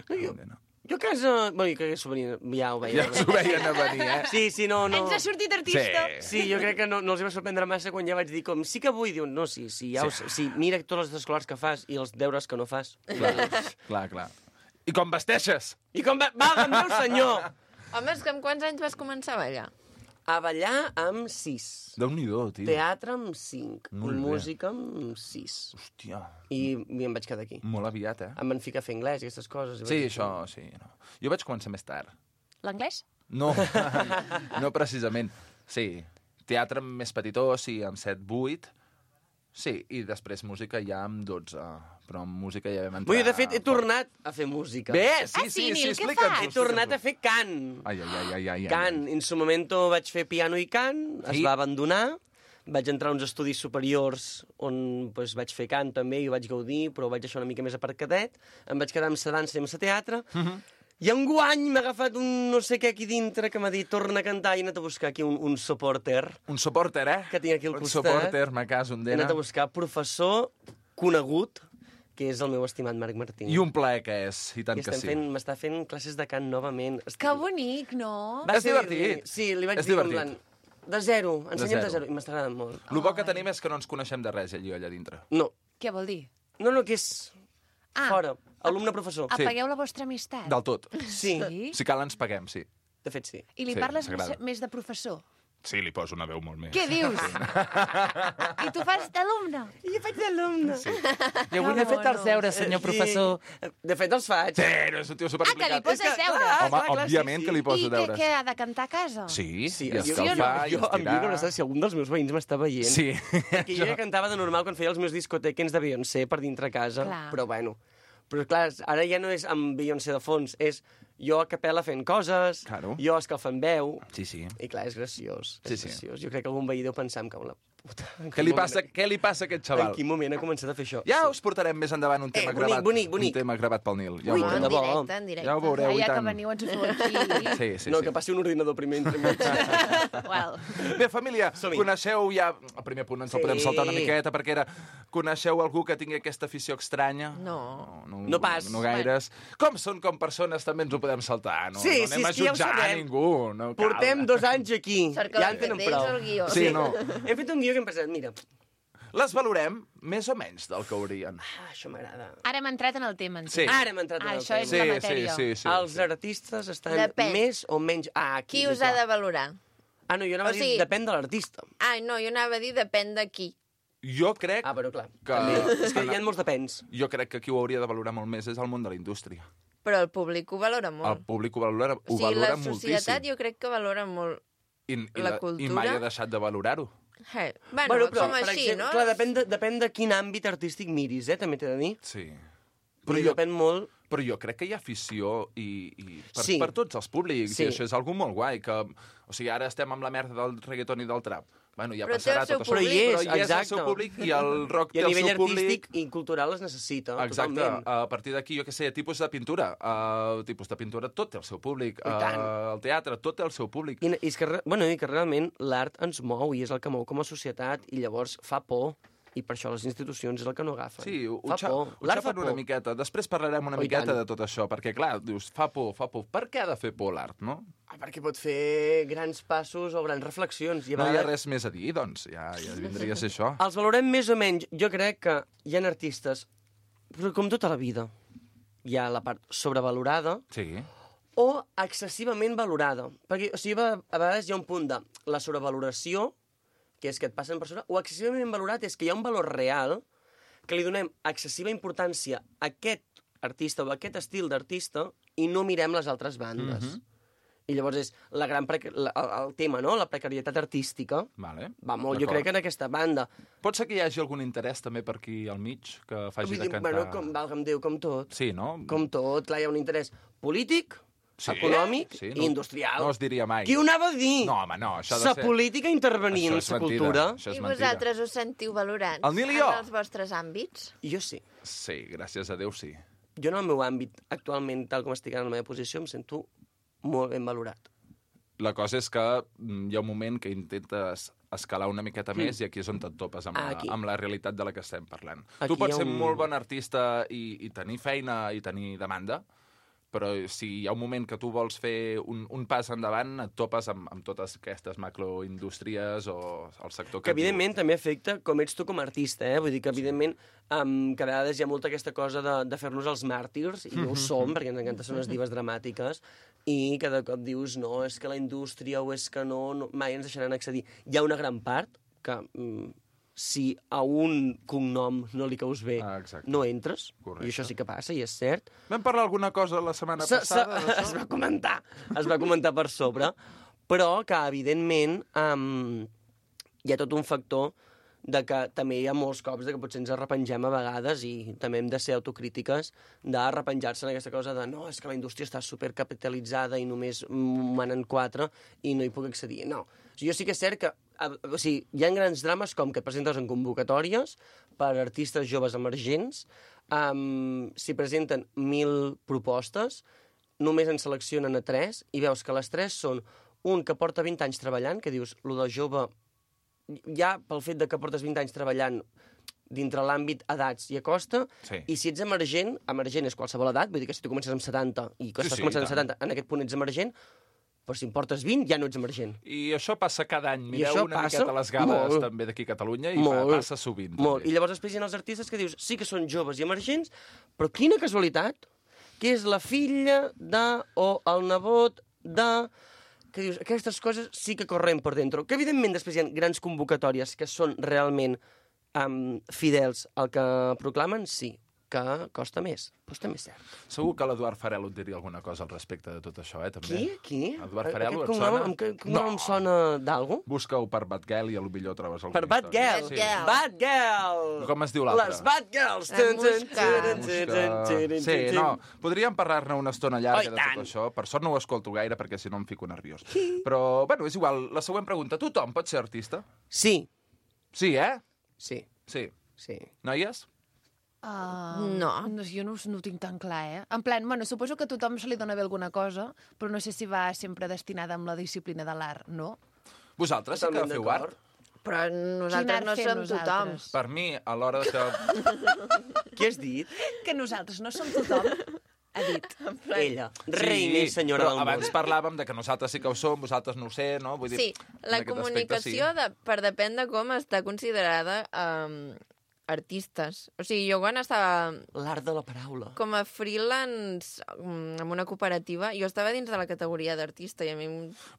No, jo, No. jo a casa... Bueno, jo crec que s'ho venia, ja ho veia. Ja s'ho veien a venir, eh? Sí, sí, no, no. Ens ha sortit artista. Sí. Sí, jo crec que no, no els hi va sorprendre massa quan ja vaig dir com, sí que vull, diuen, no, sí, sí, ja Sí. sí. sí, mira totes les escolars que fas i els deures que no fas. Clar, clar, clar. I com vesteixes? I com va, valga'm Déu senyor! Home, és que amb quants anys vas començar a ballar? A ballar amb sis. Déu-n'hi-do, tio. Teatre amb cinc. Molt I bé. música amb sis. Hòstia, I, I em vaig quedar aquí. molt aviat, eh? Em van ficar a fer anglès i aquestes coses. i Sí, vaig dir, això, sí. No. Jo vaig començar més tard. L'anglès? No, no precisament. Sí, teatre més petitó, sí, amb set vuit. Sí, i després música ja amb dotze. Però amb música ja vam entrar... Vull dir, de fet, he tornat a fer música. Bé, sí, Ah, sí, sí, sí, Nil, què explica'ns. fas? He tornat a fer cant. Ai, ai, ai, ai, ai. Cant. En su momento vaig fer piano i cant, es Sí. va abandonar, vaig entrar a uns estudis superiors on pues, vaig fer cant també i ho vaig gaudir, però ho vaig deixar una mica més aparcadet. Em vaig quedar amb sa dansa i amb sa teatre. Uh -huh. I enguany m'ha agafat un no sé què aquí dintre que m'ha dit torna a cantar i he anat a buscar aquí un, un supporter Un supporter, eh? que tinc aquí al un costat. Un supporter, ma casa, un He dena. anat a buscar professor conegut, que és el meu estimat Marc Martín. I un plaer que és, i tant I que estem sí. fent, m'està fent classes de cant novament. Que bonic, no? Va És ser- divertit. Sí, li vaig És dir en divertit. plan, de zero, ensenyem zero. de zero, i m'està agradant molt. El bo que tenim és que no ens coneixem de res, allò allà dintre. No, Què vol dir? no, no, que és Ah, fora, alumne-professor. Sí. apagueu la vostra amistat. Del tot. Sí, Sí? Si cal, ens paguem, sí. de fet sí. I li Sí, parles s'agrada. més, més de professor. Sí, li poso una veu molt més. Què dius? I tu fas d'alumne? I faig d'alumne. Sí. I avui n'he fet els deures, senyor professor. De fet, els faig. Sí, no és un tio Ah, que li superimplicat. poses deures? clar, Home, clar, clar, òbviament sí, que li sí. poso I què, deures. què ha de cantar a casa? Sí, Sí, i jo, escalfar, jo, i jo, em dic estirar. que si algun dels meus veïns m'està veient, Sí. que jo ja cantava de normal quan feia els meus discotequens de Beyoncé per dintre casa, Clar. però bueno. Però clar, ara ja no és amb Beyoncé de fons, és jo a capella fent coses, Claro. jo escalfant veu, Sí, sí. i clar, és graciós. Sí, És sí. graciós. Jo crec que algun veí deu pensar em cago en la puta. En Què quin li moment- passa, què li passa a aquest En xaval? quin moment ha començat a fer això? Ja Sí. us portarem més endavant un tema Eh, bonic, gravat. bonic, bonic. Un tema gravat pel Nil. Ja ho Ui, No, veureu. en de bo. directe, en directe. Ja ho veureu, Ah, i ja que tant. veniu ens ho feu aquí. Sí, sí, no, sí. que passi un ordinador primer entre mig. well. Bé, família, Som-hi. coneixeu ja... El primer punt ens el Sí. podem saltar una miqueta, perquè era... Coneixeu algú que tingui aquesta afició estranya? No. No, No pas. No gaires. Com són com persones, també ens ho podem saltar. No, Sí, no sí, anem a és que ja ho jutjar a sabem. ningú. No cal. Portem dos anys aquí. Cerca ja ja en tenen d'ells prou. el guió. Sí, no. Hem fet un guió que hem pensat, mira, Les valorem més o menys del que haurien. ah, això m'agrada. Ara hem entrat en el tema, en Sí. Ara hem entrat en Ah, el això és tema. la matèria. sí, sí, sí. Els artistes estan Depèn. més o menys... Ah, aquí. Qui us ha de valorar? Ah, no, jo anava O a dir, sigui- depèn de l'artista. Ah, no, jo anava a dir depèn de qui. Jo crec, Ah, però clar. Que- També. És que hi ha molts depens. jo crec que qui ho hauria de valorar molt més és el món de la indústria. Però el públic ho valora El molt. públic ho valora, ho o sigui, valora la societat moltíssim. jo crec que valora molt. I, i, la la- I cultura- mai ha deixat de valorar-ho. Hey. Bueno, Bueno, però, som per així, exemple, no? clar, depèn de, depèn de quin àmbit artístic miris, eh, també t'he de dir. Sí. Però I jo... depèn molt... Però jo crec que hi ha afició i, i per, sí. per tots els públics, sí. i això és algo molt guai, que, o sigui, ara estem amb la merda del reggaeton i del trap. Bueno, ja però passarà tot això. Però hi és, però hi és el exacte. seu públic i el rock I té a el nivell seu públic. artístic i cultural es necessita, exacte. totalment. A partir d'aquí, jo què sé, tipus de pintura. Uh, tipus de pintura, tot té el seu públic. Uh, el teatre, tot té el seu públic. I, i, és que, bueno, i que realment l'art ens mou i és el que mou com a societat i llavors fa por. I per això les institucions és el que no agafen. Sí, ho, fa xa por. ho xapen una miqueta. Després parlarem una oh, miqueta de tot això, perquè, clar, dius, fa por, fa por. Per què ha de fer por l'art, no? Ah, perquè pot fer grans passos o grans reflexions. I no hi ha res més a dir, doncs, ja, ja vindria a ser això. Els valorem més o menys. Jo crec que hi ha artistes, però com tota la vida, hi ha la part sobrevalorada sí. o excessivament valorada. Perquè, o sigui, a vegades hi ha un punt de la sobrevaloració, que és que et passen per sobre, o excessivament valorat és que hi ha un valor real que li donem excessiva importància a aquest artista o a aquest estil d'artista i no mirem les altres bandes. Mm-hmm. I llavors és la gran preca... la, el, el tema, no? La precarietat artística. Vale. Va molt, jo crec, en aquesta banda. Pot ser que hi hagi algun interès també per aquí al mig que faci dir, de cantar... Bueno, com, valga'm Déu, com tot. Sí, no? Com tot, clar, hi ha un interès polític, sí, econòmic sí, i no, industrial. No es diria mai. Qui ho anava a dir? No, home, no, això ha de sa ser... Sa política intervenir en sa cultura. I vosaltres us sentiu valorats el Nil i jo. en els vostres àmbits? Jo sí. Sí, gràcies a Déu, sí. Jo en el meu àmbit, actualment, tal com estic en la meva posició, em sento molt ben valorat. La cosa és que hi ha un moment que intentes escalar una miqueta mm. més i aquí és on et topes amb, la, amb la realitat de la que estem parlant. Aquí tu pots ser un... molt bon artista i, i tenir feina i tenir demanda, però si hi ha un moment que tu vols fer un, un pas endavant, et topes amb, amb totes aquestes macroindústries o el sector que... Que evidentment també afecta com ets tu com a artista, eh? Vull dir que evidentment um, que a vegades hi ha molta aquesta cosa de, de fer-nos els màrtirs, i no ho som, perquè ens encanta ser unes dives dramàtiques, i cada cop dius, no, és que la indústria o és que no, no mai ens deixaran accedir. Hi ha una gran part que... Mm, si a un cognom no li caus bé, ah, no entres, correcte. I això sí que passa, i és cert. Vam parlar alguna cosa la setmana s passada? S es va comentar, es va comentar per sobre, però que, evidentment, um, hi ha tot un factor de que també hi ha molts cops de que potser ens arrepengem a vegades i també hem de ser autocrítiques d'arrepenjar-se en aquesta cosa de no, és que la indústria està supercapitalitzada i només manen quatre i no hi puc accedir. No. O sigui, jo sí que és cert que o sigui, hi ha grans drames com que et presentes en convocatòries per artistes joves emergents, um, s'hi presenten mil propostes, només en seleccionen a tres i veus que les tres són un que porta vint anys treballant, que dius, lo de jove ja pel fet de que portes vint anys treballant dintre l'àmbit edats i a costa, sí. I si ets emergent, emergent és qualsevol edat, vull dir que si tu comences amb setanta i que sí, estàs sí, començant amb setanta, en aquest punt ets emergent, però si en portes vint ja no ets emergent. I això passa cada any. Mireu una miqueta a les gales molt, també d'aquí a Catalunya i molt, passa sovint. Molt. També. I llavors després hi ha els artistes que dius, sí que són joves i emergents, però quina casualitat que és la filla de o el nebot de... que dius, aquestes coses sí que correm per dentro. Que evidentment després hi ha grans convocatòries que són realment um, fidels al que proclamen, sí, que costa més, però també és cert. Segur que l'Eduard Farelo et diria alguna cosa al respecte de tot això, eh, també. Qui? Qui? Eduard Farelo, et cognom, sona? Amb què cognom no. em sona d'algú? Busca-ho per Bad Girl i potser trobes alguna Per Bad Girl? Sí. Bad Girl! Com es diu l'altre? Les Bad Girls! Sí, no, podríem parlar-ne una estona llarga de tot això. Per sort no ho escolto gaire perquè si no em fico nerviós. Però, bueno, és igual. La següent pregunta. Tothom pot ser artista? Sí. Sí, eh? Sí. Sí. Sí. Noies? Uh, no. no. Jo no, no ho tinc tan clar, eh? En plan, bueno, suposo que a tothom se li dona bé alguna cosa, però no sé si va sempre destinada amb la disciplina de l'art, no? Vosaltres sí que feu art? Però nosaltres no som tothom. Per mi, a l'hora que... Què has dit? Que nosaltres no som tothom. Ha dit. Ella, reina i senyora del món. Abans parlàvem de que nosaltres sí que ho som, vosaltres no ho sé, no? Vull dir, sí, la comunicació, aspecte, sí. de, per depèn de com està considerada... Um, artistes. O sigui, jo quan estava... L'art de la paraula. Com a freelance en una cooperativa, jo estava dins de la categoria d'artista i a mi...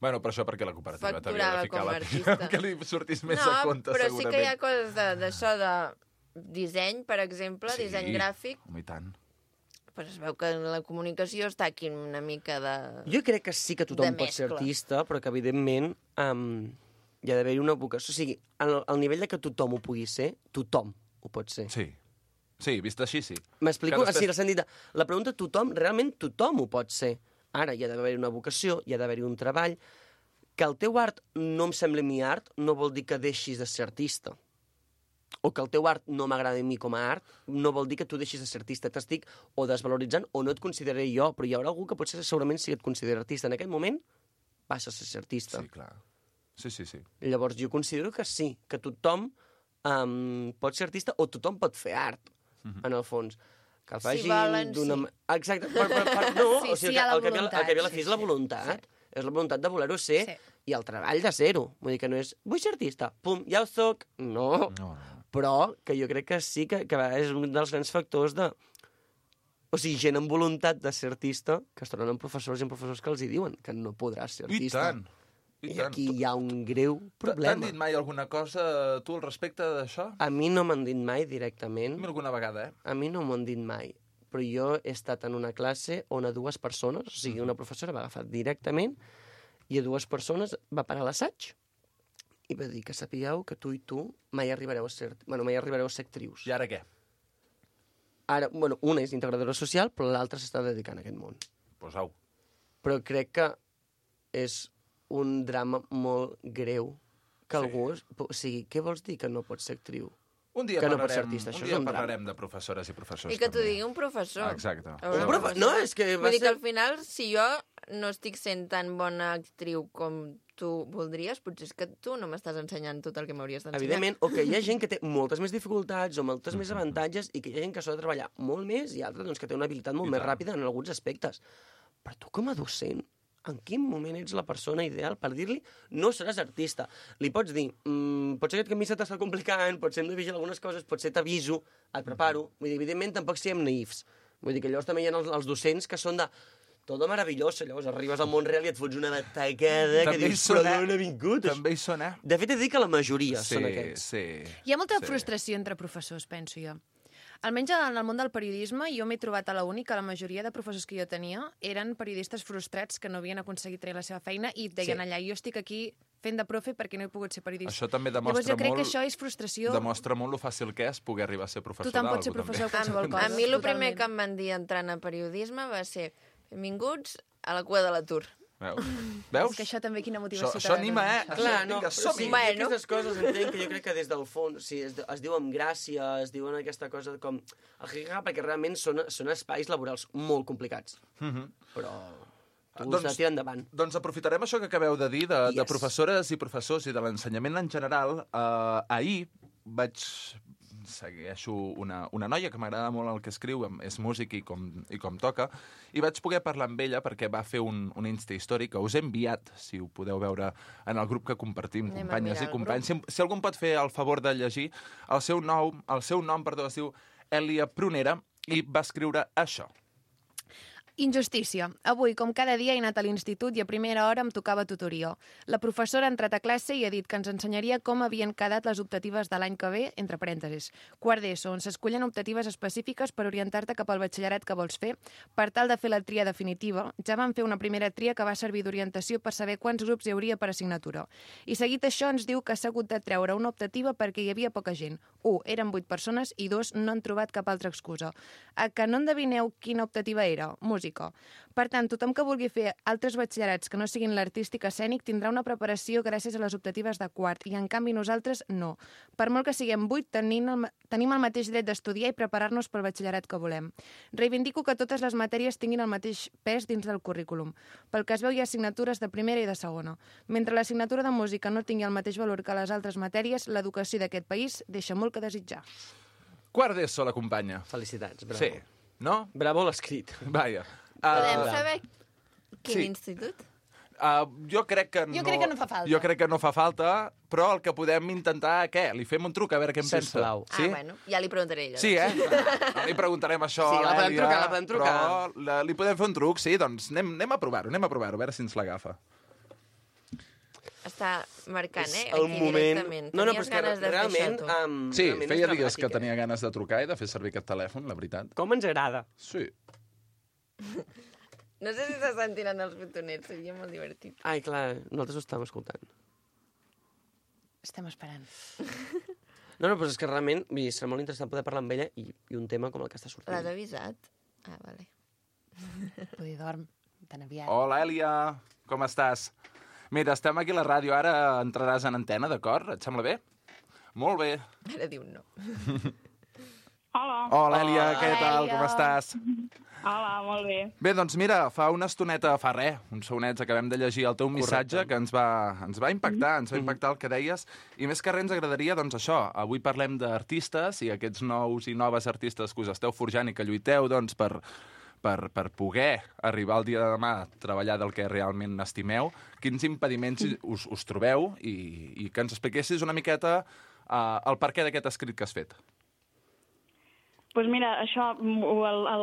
Bueno, però això perquè la cooperativa t'havia de ficar la artista. que li sortís més no, a compte, però segurament. sí que hi ha coses d'això de, de disseny, per exemple, sí, disseny gràfic. I tant. Però es veu que la comunicació està aquí una mica de... Jo crec que sí que tothom pot ser artista, però que evidentment um, hi ha d'haver una vocació. O sigui, al, al nivell de que tothom ho pugui ser, tothom ho pot ser. Sí. Sí, vist així, sí. M'explico? Que després- Sí, en el sentit de... La pregunta, tothom, realment tothom ho pot ser. Ara, hi ha d'haver una vocació, hi ha d'haver-hi un treball. Que el teu art no em sembli mi art no vol dir que deixis de ser artista. O que el teu art no m'agrada a mi com a art no vol dir que tu deixis de ser artista. T'estic o desvaloritzant o no et consideraré jo, però hi haurà algú que potser segurament sí que et considera artista. En aquell moment passes a ser artista. Sí, clar. Sí, sí, sí. Llavors jo considero que sí, que tothom um, pot ser artista o tothom pot fer art, Mhm. en el fons. Que el Si faci volen, d'una... sí. ma- Exacte. Per, per, per, no, Sí, o sí, sigui, hi ha la el, que ve, voluntat, el que ve a la sí, fi és la sí. voluntat. És la voluntat de voler-ho ser Sí. i el treball de ser-ho. Vull dir que no és, vull ser artista, pum, ja ho soc. No. No, Però que jo crec que sí que, que a vegades és un dels grans factors de... O sigui, gent amb voluntat de ser artista que es troben amb professors i amb professors que els hi diuen que no podràs ser I artista. tant. I, I tant. aquí hi ha un greu T'han problema. dit mai alguna cosa, tu, al respecte d'això? A mi no m'han dit mai directament. A mi alguna vegada, eh? A mi no m'ho han dit mai. Però jo he estat en una classe on a dues persones, o sigui, una professora va agafar directament i a dues persones va parar l'assaig i va dir que sapigueu que tu i tu mai arribareu a ser, bueno, mai arribareu a ser actrius. I ara què? Ara, bueno, una és integradora social, però l'altra s'està dedicant a aquest món. Pues au. Però crec que és un drama molt greu que Sí. algú... Es, o sigui, què vols dir que no pots ser actriu? Un dia que no parlarem, pots ser artista, un això dia és un drama. parlarem de professores i professors. I que t'ho també. digui un professor. Exacte. A veure, Un profe... No, és que va Vull dir que ser... al final, si jo no estic sent tan bona actriu com tu voldries, potser és que tu no m'estàs ensenyant tot el que m'hauries d'ensenyar. Evidentment, o que hi ha gent que té moltes més dificultats o moltes més avantatges i que hi ha gent que s'ha de treballar molt més i altres doncs, que té una habilitat molt I més tant. ràpida en alguns aspectes. Però tu com a docent, en quin moment ets la persona ideal per dir-li no seràs artista? Li pots dir, mmm, potser aquest camí se t'està complicant, potser hem de vigilar algunes coses, potser t'aviso, et preparo. Vull dir, evidentment, tampoc siguem naïfs. Vull dir que llavors també hi ha els, els docents que són de todo meravelloso, llavors arribes al món real i et fots una batacada que També hi dius, són, però eh? d'on ha vingut? També hi són, eh? De fet, he de dir que la majoria Sí, són aquests. sí. Hi ha molta Sí. frustració entre professors, penso jo. Almenys en el món del periodisme, jo m'he trobat a la uni que la majoria de professors que jo tenia eren periodistes frustrats que no havien aconseguit treure la seva feina i et deien Sí. allà, jo estic aquí fent de profe perquè no he pogut ser periodista. Això també Llavors demostra jo crec molt... que això és frustració. Demostra molt lo fàcil que és poder arribar a ser professor Tothom pot d'algú, ser professor també. de qualsevol cosa. A mi el primer totalment. que em van dir entrant a periodisme va ser benvinguts a la cua de l'atur. Veus? Veus? És que això també quina motivació Això, t'ha això de anima, donar, eh? això. Això, Clar, no, vinga, però som-hi. sí, Bueno. aquestes coses entenc que jo crec que des del fons, sí, es, es diu amb gràcia, es diuen aquesta cosa com el jiga, perquè realment són, són espais laborals molt complicats. Mhm. Però tu Doncs- doncs, has de tirar endavant. Doncs aprofitarem això que acabeu de dir, de, Yes. de professores i professors i de l'ensenyament en general. Uh, ahir vaig segueixo una, una noia que m'agrada molt el que escriu, em- és músic i com, i com toca, i vaig poder parlar amb ella perquè va fer un, un Insta històric que us he enviat, si ho podeu veure en el grup que compartim, Anem a companyes mirar i el companys. Si, si algú em pot fer el favor de llegir, el seu nom, el seu nom perdó, es diu Elia Prunera, i va escriure això. Injustícia. Avui, com cada dia, he anat a l'institut i a primera hora em tocava tutoria. La professora ha entrat a classe i ha dit que ens ensenyaria com havien quedat les optatives de l'any que ve, entre parèntesis. Quart d'ESO, on s'escullen optatives específiques per orientar-te cap al batxillerat que vols fer. Per tal de fer la tria definitiva, ja vam fer una primera tria que va servir d'orientació per saber quants grups hi hauria per assignatura. I seguit això ens diu que s'ha hagut de treure una optativa perquè hi havia poca gent. Un, eren vuit persones i dos, no han trobat cap altra excusa. A que no endevineu quina optativa era? Música. Per tant, tothom que vulgui fer altres batxillerats que no siguin l'artístic escènic tindrà una preparació gràcies a les optatives de quart i, en canvi, nosaltres no. Per molt que siguem vuit, tenim el, tenim el mateix dret d'estudiar i preparar-nos pel batxillerat que volem. Reivindico que totes les matèries tinguin el mateix pes dins del currículum. Pel que es veu, hi ha assignatures de primera i de segona. Mentre l'assignatura de música no tingui el mateix valor que les altres matèries, l'educació d'aquest país deixa molt que desitjar. Quart d'ESO, la companya. Felicitats, bravo. Sí. No? Bravo l'escrit. Vaja. Podem Uh, saber quin sí. institut? Uh, jo crec que no... Jo crec que no fa falta. Jo crec que no fa falta, però el que podem intentar, què? Li fem un truc a veure què en pensa. Sisplau. Sí? Ah, bueno, ja li preguntaré a ella. Sí, eh? No li preguntarem això Sí, a la podem l'Èlia, trucar, la podem trucar. Però la, li podem fer un truc, sí, doncs anem, anem a provar-ho, anem a provar-ho, a veure si ens l'agafa. Està marcant, És eh? el Aquí moment... directament. No, no, però Tenies és que ganes de fer realment... això, tu. Um, Sí, realment feia és dies que dramàtic, tenia eh? ganes de trucar i de fer servir aquest telèfon, la veritat. Com ens agrada. Sí. No sé si se sentiran els botonets, seria molt divertit. Ai, clar, nosaltres ho estàvem escoltant. Estem esperant. No, no, però és que realment vull dir, serà molt interessant poder parlar amb ella i, i un tema com el que està sortint. L'has avisat? Ah, vale. Tu hi dorm, tan aviat. Hola, Èlia, com estàs? Mira, estem aquí a la ràdio, ara entraràs en antena, d'acord? Et sembla bé? Molt bé. Ara diu no. Hola. Hola, Èlia, Hola, què tal? Èlia. Com estàs? Hola, molt bé. Bé, doncs mira, fa una estoneta, fa res, uns segonets, acabem de llegir el teu missatge que ens va, ens va impactar, ens va impactar el que deies, i més que res ens agradaria, doncs això, avui parlem d'artistes i aquests nous i noves artistes que us esteu forjant i que lluiteu, doncs, per, per, per poder arribar al dia de demà a treballar del que realment estimeu, quins impediments us, us trobeu i, i que ens expliquessis una miqueta uh, el perquè d'aquest escrit que has fet. Doncs pues mira, això,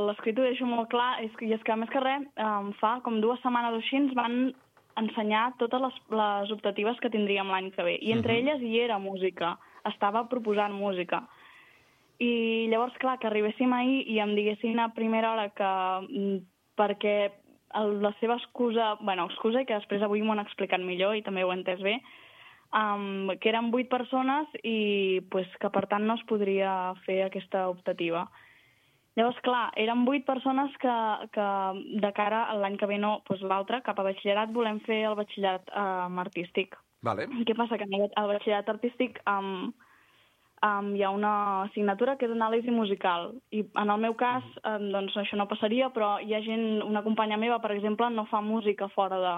l'escrit ho deixo molt clar, és que, i és que més que res, um, fa com dues setmanes o així ens van ensenyar totes les, les optatives que tindríem l'any que ve. I entre uh-huh. elles hi era música, estava proposant música. I llavors, clar, que arribéssim ahir i em diguessin a primera hora que perquè el, la seva excusa, bueno, excusa i que després avui m'ho han explicat millor i també ho he entès bé, Um, que eren vuit persones i pues, que per tant no es podria fer aquesta optativa. Llavors, clar, eren vuit persones que, que de cara a l'any que ve, no, pues, l'altre, cap a batxillerat, volem fer el batxillerat um, artístic. Vale. Què passa? Que al batxillerat artístic um, um, hi ha una assignatura que és anàlisi musical. I en el meu cas, um, doncs això no passaria, però hi ha gent, una companya meva, per exemple, no fa música fora de,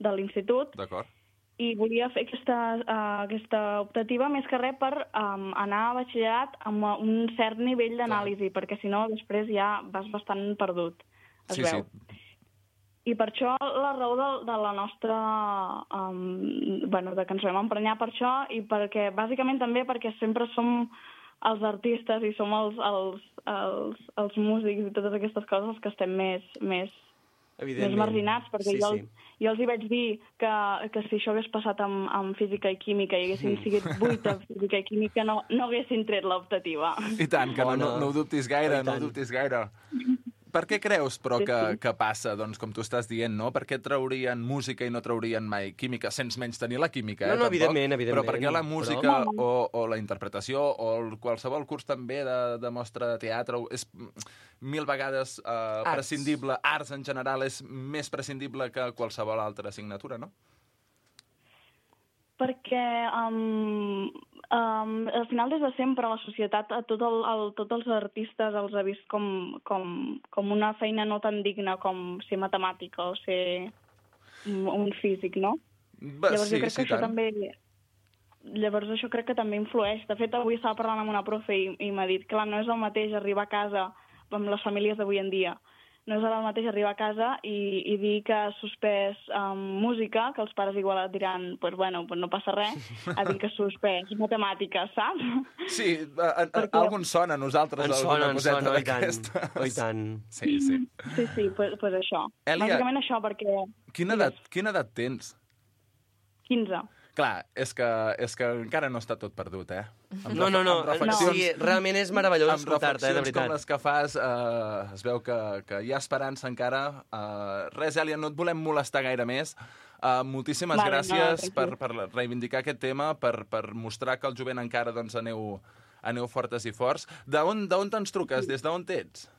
de l'institut. D'acord. I volia fer aquesta, uh, aquesta optativa més que res per um, anar a batxillerat amb un cert nivell d'anàlisi, perquè si no després ja vas bastant perdut, es sí, veu. Sí. I per això la raó de, de la nostra... Um, bueno, de que ens vam emprenyar per això i perquè, bàsicament també perquè sempre som els artistes i som els, els, els, els músics i totes aquestes coses que estem més... més més marginats, perquè sí, jo, sí. jo els hi vaig dir que, que si això hagués passat amb, amb física i química i haguessin sigut vuit a física i química no, no haguessin tret l'optativa. I tant, que no, no, no ho dubtis gaire, no ho dubtis gaire. Per què creus, però, que, que passa, doncs, com tu estàs dient, no? Per què traurien música i no traurien mai química, sense menys tenir la química, eh, no, no, tampoc? evidentment, evidentment. Però per què la música però... o, o la interpretació o el, qualsevol curs també de, de mostra de teatre és mil vegades eh, arts. prescindible, arts en general és més prescindible que qualsevol altra assignatura, no? Perquè um, um, al final des de sempre la societat a tot el, el, tots els artistes els ha vist com, com, com una feina no tan digna com ser matemàtica o ser un físic, no? Ba, Llavors sí, jo crec sí, que això tant. també... Llavors això crec que també influeix. De fet, avui estava parlant amb una profe i, i m'ha dit, clar, no és el mateix arribar a casa amb les famílies d'avui en dia. No és el mateix arribar a casa i, i dir que has suspès um, música, que els pares igual et diran, pues bueno, pues no passa res, a dir que has suspès matemàtiques, saps? Sí, a, a, Perquè... algun sona a nosaltres, en alguna sona, coseta sona, d'aquestes. Oh, i tant. Sí, sí. Sí, sí, pues, pues això. Èlia, bàsicament això, perquè... Quina edat, quina edat tens? quinze. Clar, és que, és que encara no està tot perdut, eh? Amb no, no, no, no. Sí, realment és meravellós escoltar-te, eh, de veritat. Amb reflexions com les que fas, eh, es veu que, que hi ha esperança encara. Eh, res, Èlia, no et volem molestar gaire més. Uh, moltíssimes vale, gràcies no, per, per reivindicar aquest tema, per, per mostrar que el jovent encara doncs, aneu, aneu fortes i forts. D'on te'ns truques? Des d'on ets?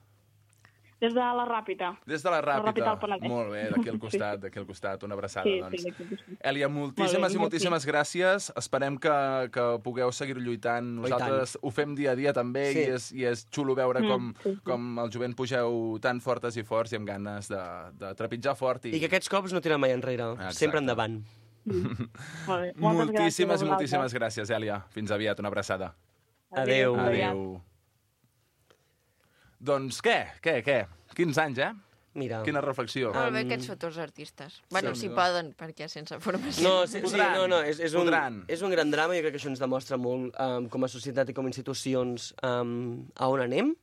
Des de la Ràpita. Des de la Ràpita. La Ràpita Molt bé, d'aquí al costat, sí. d'aquí al costat. Una abraçada, sí, doncs. Sí, sí, Èlia, moltíssimes molt bé, i moltíssimes sí. gràcies. Esperem que, que pugueu seguir lluitant. Nosaltres ho fem dia a dia també sí. i, és, i és xulo veure mm, com, sí, sí. com el jovent pugeu tan fortes i forts i amb ganes de, de trepitjar fort. I... I que aquests cops no tiren mai enrere. Exacte. Sempre endavant. Mm. Molt bé. Moltíssimes gràcies i moltíssimes gràcies, Èlia. Fins aviat, una abraçada. Adéu. Adéu. Doncs què? Què? Què? quinze anys, eh? Mira. Quina reflexió. Molt bé aquests futurs artistes. Bueno, sí, si poden, perquè sense formació. No, sí, sí, no, no, és, és, un, és un gran drama i crec que això ens demostra molt um, com a societat i com a institucions um, a on anem.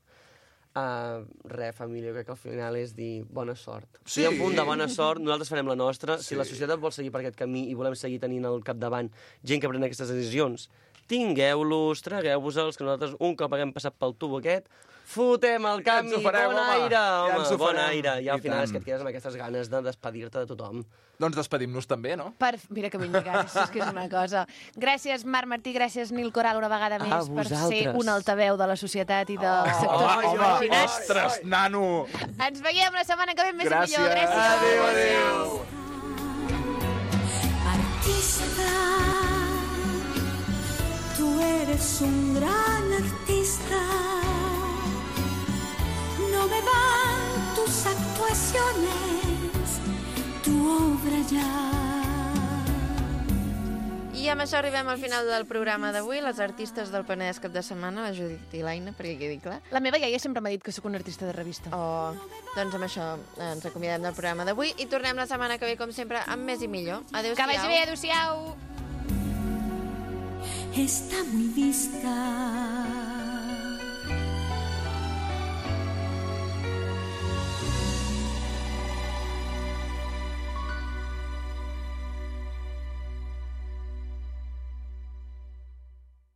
Uh, re, família, crec que al final és dir bona sort. Sí. Si hi ha un punt de bona sort, nosaltres farem la nostra. Sí. Si la societat vol seguir per aquest camí i volem seguir tenint al capdavant gent que pren aquestes decisions, tingueu-los, tragueu-vos-els, que nosaltres un cop haguem passat pel tubo aquest, Fotem el canvi, farem, bon home. aire, Ja home, ens ho bon farem. aire. I al I final tant. és que et quedes amb aquestes ganes de despedir-te de tothom. Doncs despedim-nos també, no? Per... Mira que ben lligats, és que és una cosa. Gràcies, Marc Martí, gràcies, Nil Coral, una vegada més, per ser vosaltres. un altaveu de la societat i dels Oh, sectors home, marginats. ostres, nano! Ens veiem la setmana que ve més Gràcies. i millor. Gràcies. Adéu, adéu. Artista, tú eres un gran artista. No me van tus actuaciones, tu obra ya. I amb això arribem al final del programa d'avui. Les artistes del Penedès cap de setmana, la Judit i l'Aina, perquè quedi clar. La meva iaia sempre m'ha dit que sóc una artista de revista. Oh, doncs amb això ens acomiadem del programa d'avui i tornem la setmana que ve, com sempre, amb més i millor. Adéu-siau. Que vagi bé, adéu-siau. Está muy vista.